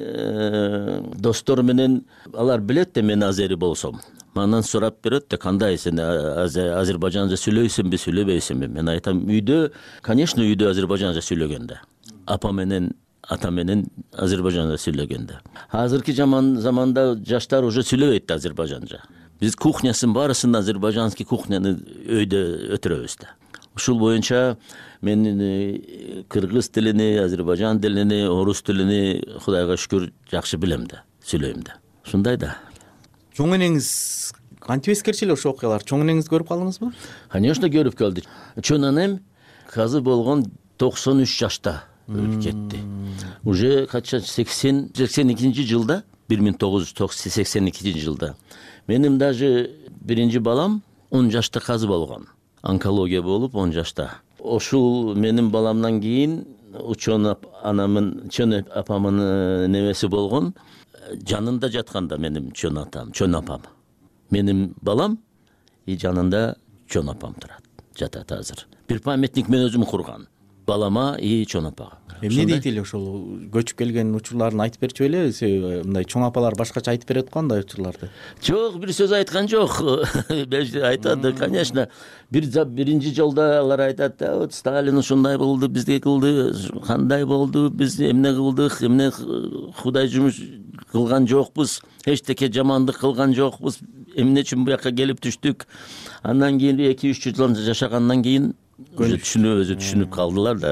достор менен, алар билет да мен азери болсом. Мандан сурап берет да, кандай сен азербайжанча сүйлөйсүңбү, сүйлөбөйсүңбү? Мен айтам, үйдө, конечно, үйдө азербайжанча сүйлөгөндө. Апа менен, ата менен азербайжанча сүйлөгөндө. Азыркы заманда жаштар уже сүйлөбөйт да азербайжанча. Биз кухнясын барысын азербайжанский кухняны өйдө өтүрөбүз да. Ушул боюнча мен кыргыз тилини, азербайжан тилини, орус тилини Кудайга шүкүр жакшы билем да, сүйлөйм да. Ушундай да. Чоң энеңиз кантип эскерчү эле ошо окуялар? Чоң энеңизди көрүп калдыңызбы? Конечно, көрүп калдым. Чоң энем казы болгон токсон үч жашта өлүп кетти. Уже кача сексен экинчи жылда, бир миң тогуз жүз сексен экинчи жылда. Менин даже биринчи балам он жашта казы болгон. Онкология болуп он жашта. Ошул менин баламдан кийин чоң анамын, чоң апамын небеси болгон, жанында жатканда менин чоң атам, чоң апам. Менин балам и жанында чоң апам турат, жатат азыр. Бир памятник мен өзүм курган. Балама и чоң апага. Эмне дейт эле ошол көчүп келген учурларын айтып берчү эле? Мындай чоң апалар башкача айтып берет го андай учурларды. Жок, бир сөз айткан жок. Айтат, конечно. Бир биринчи жолдо алар айтат да, вот Сталин ушундай болду, бизге кылды, кандай болду, биз эмне кылдык, эмне Кудай жумуш кылган жокпуз, эчтеке жамандык кылган жокпуз, эмне үчүн буякка келип түштүк. Андан кийин эки үч жыл жашагандан кийин түшүнүп өзү түшүнүп калдылар да,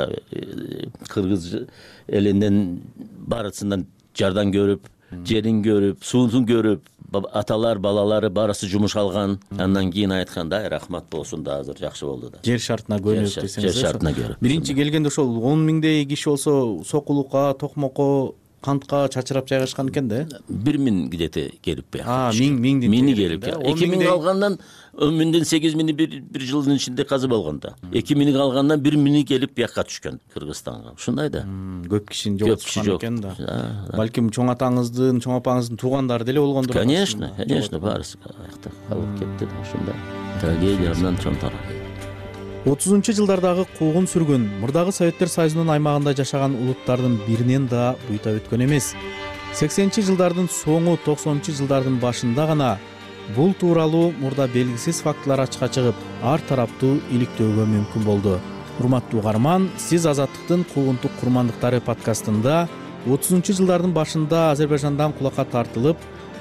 кыргыз элинен барысынан жардан көрүп, жерин көрүп, суун көрүп, аталар, балалары барысы жумуш алган. Андан кийин айтканда, рахмат болсун да, азыр жакшы болду да. Жер шартына көнүп десеңиз. Жер шартына көрүп. Биринчи келгенде ошол он миңдей киши болсо, сокулукка, токмокко, кантка чачырап жайгашкан экен да? бир миң где-то келип бияка. А, миң миңдин миңи келип. эки миң калгандан он миңден сегиз миңи бир жылдын ичинде казы болгон да. эки миң калгандан бир миңи келип бияка түшкөн Кыргызстанга. Ушундай да. Көп кишини жоготкон экен да. Балким чоң атаңыздын, чоң апаңыздын туугандары деле болгондур. Конечно, конечно, барысы аякта калып кетти да, ушундай. Трагедиядан чоң тарап. отузунчу жылдардагы куугун сүргүн мурдагы Советтер Союзунун аймагында жашаган улуттардын биринен да буйта өткөн эмес. сексенинчи жылдардын соңу, токсонунчу жылдардын башында гана бул тууралуу мурда белгисиз фактылар ачыкка чыгып, ар тараптуу иликтөөгө мүмкүн болду. Урматтуу угарман, сиз Азаттыктын куугунтук курмандыктары подкастында отузунчу жылдардын башында Азербайжандан кулакка тартылып,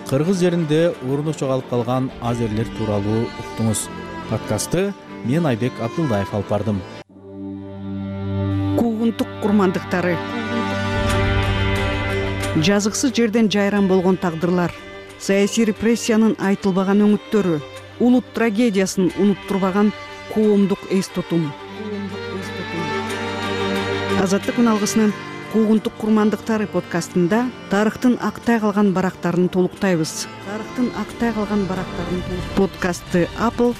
кыргыз жеринде орну жоголуп калган азерлер тууралуу уктуңуз. подкастты мен Айбек Абдылдаев алып бардым. Куугунтук курмандыктары, жазыксыз жерден жайран болгон тагдырлар, саясий репрессиянын айтылбаган өңүттөрү, улут трагедиясын унуттурбаган коомдук эс тутум. Азаттык үналгысынын Куугунтук курмандыктары подкастында тарыхтын актай калган барактарын толуктайбыз. Тарыхтын актай калган барактарын подкастты Apple,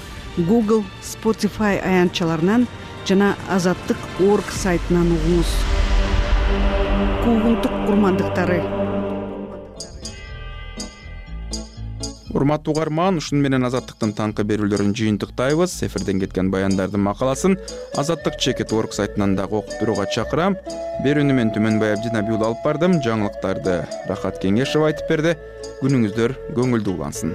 Google, Spotify аянтчаларынан жана азаттык точка орг сайтынан угуңуз. Куугунтук курмандыктары. Урматтуу угарман, ушуну менен азаттыктын таңкы берүүлөрүн жыйынтыктайбыз. Эфирден кеткен баяндардын макаласын азаттык чекит точка орг сайтынан дагы окуп турууга чакырам. Берүүнү мен Түмөнбай Абдинабиул алып бардым. Жаңылыктарды Рахат Кеңешова айтып берди. Күнүңүздөр көңүлдүү улансын.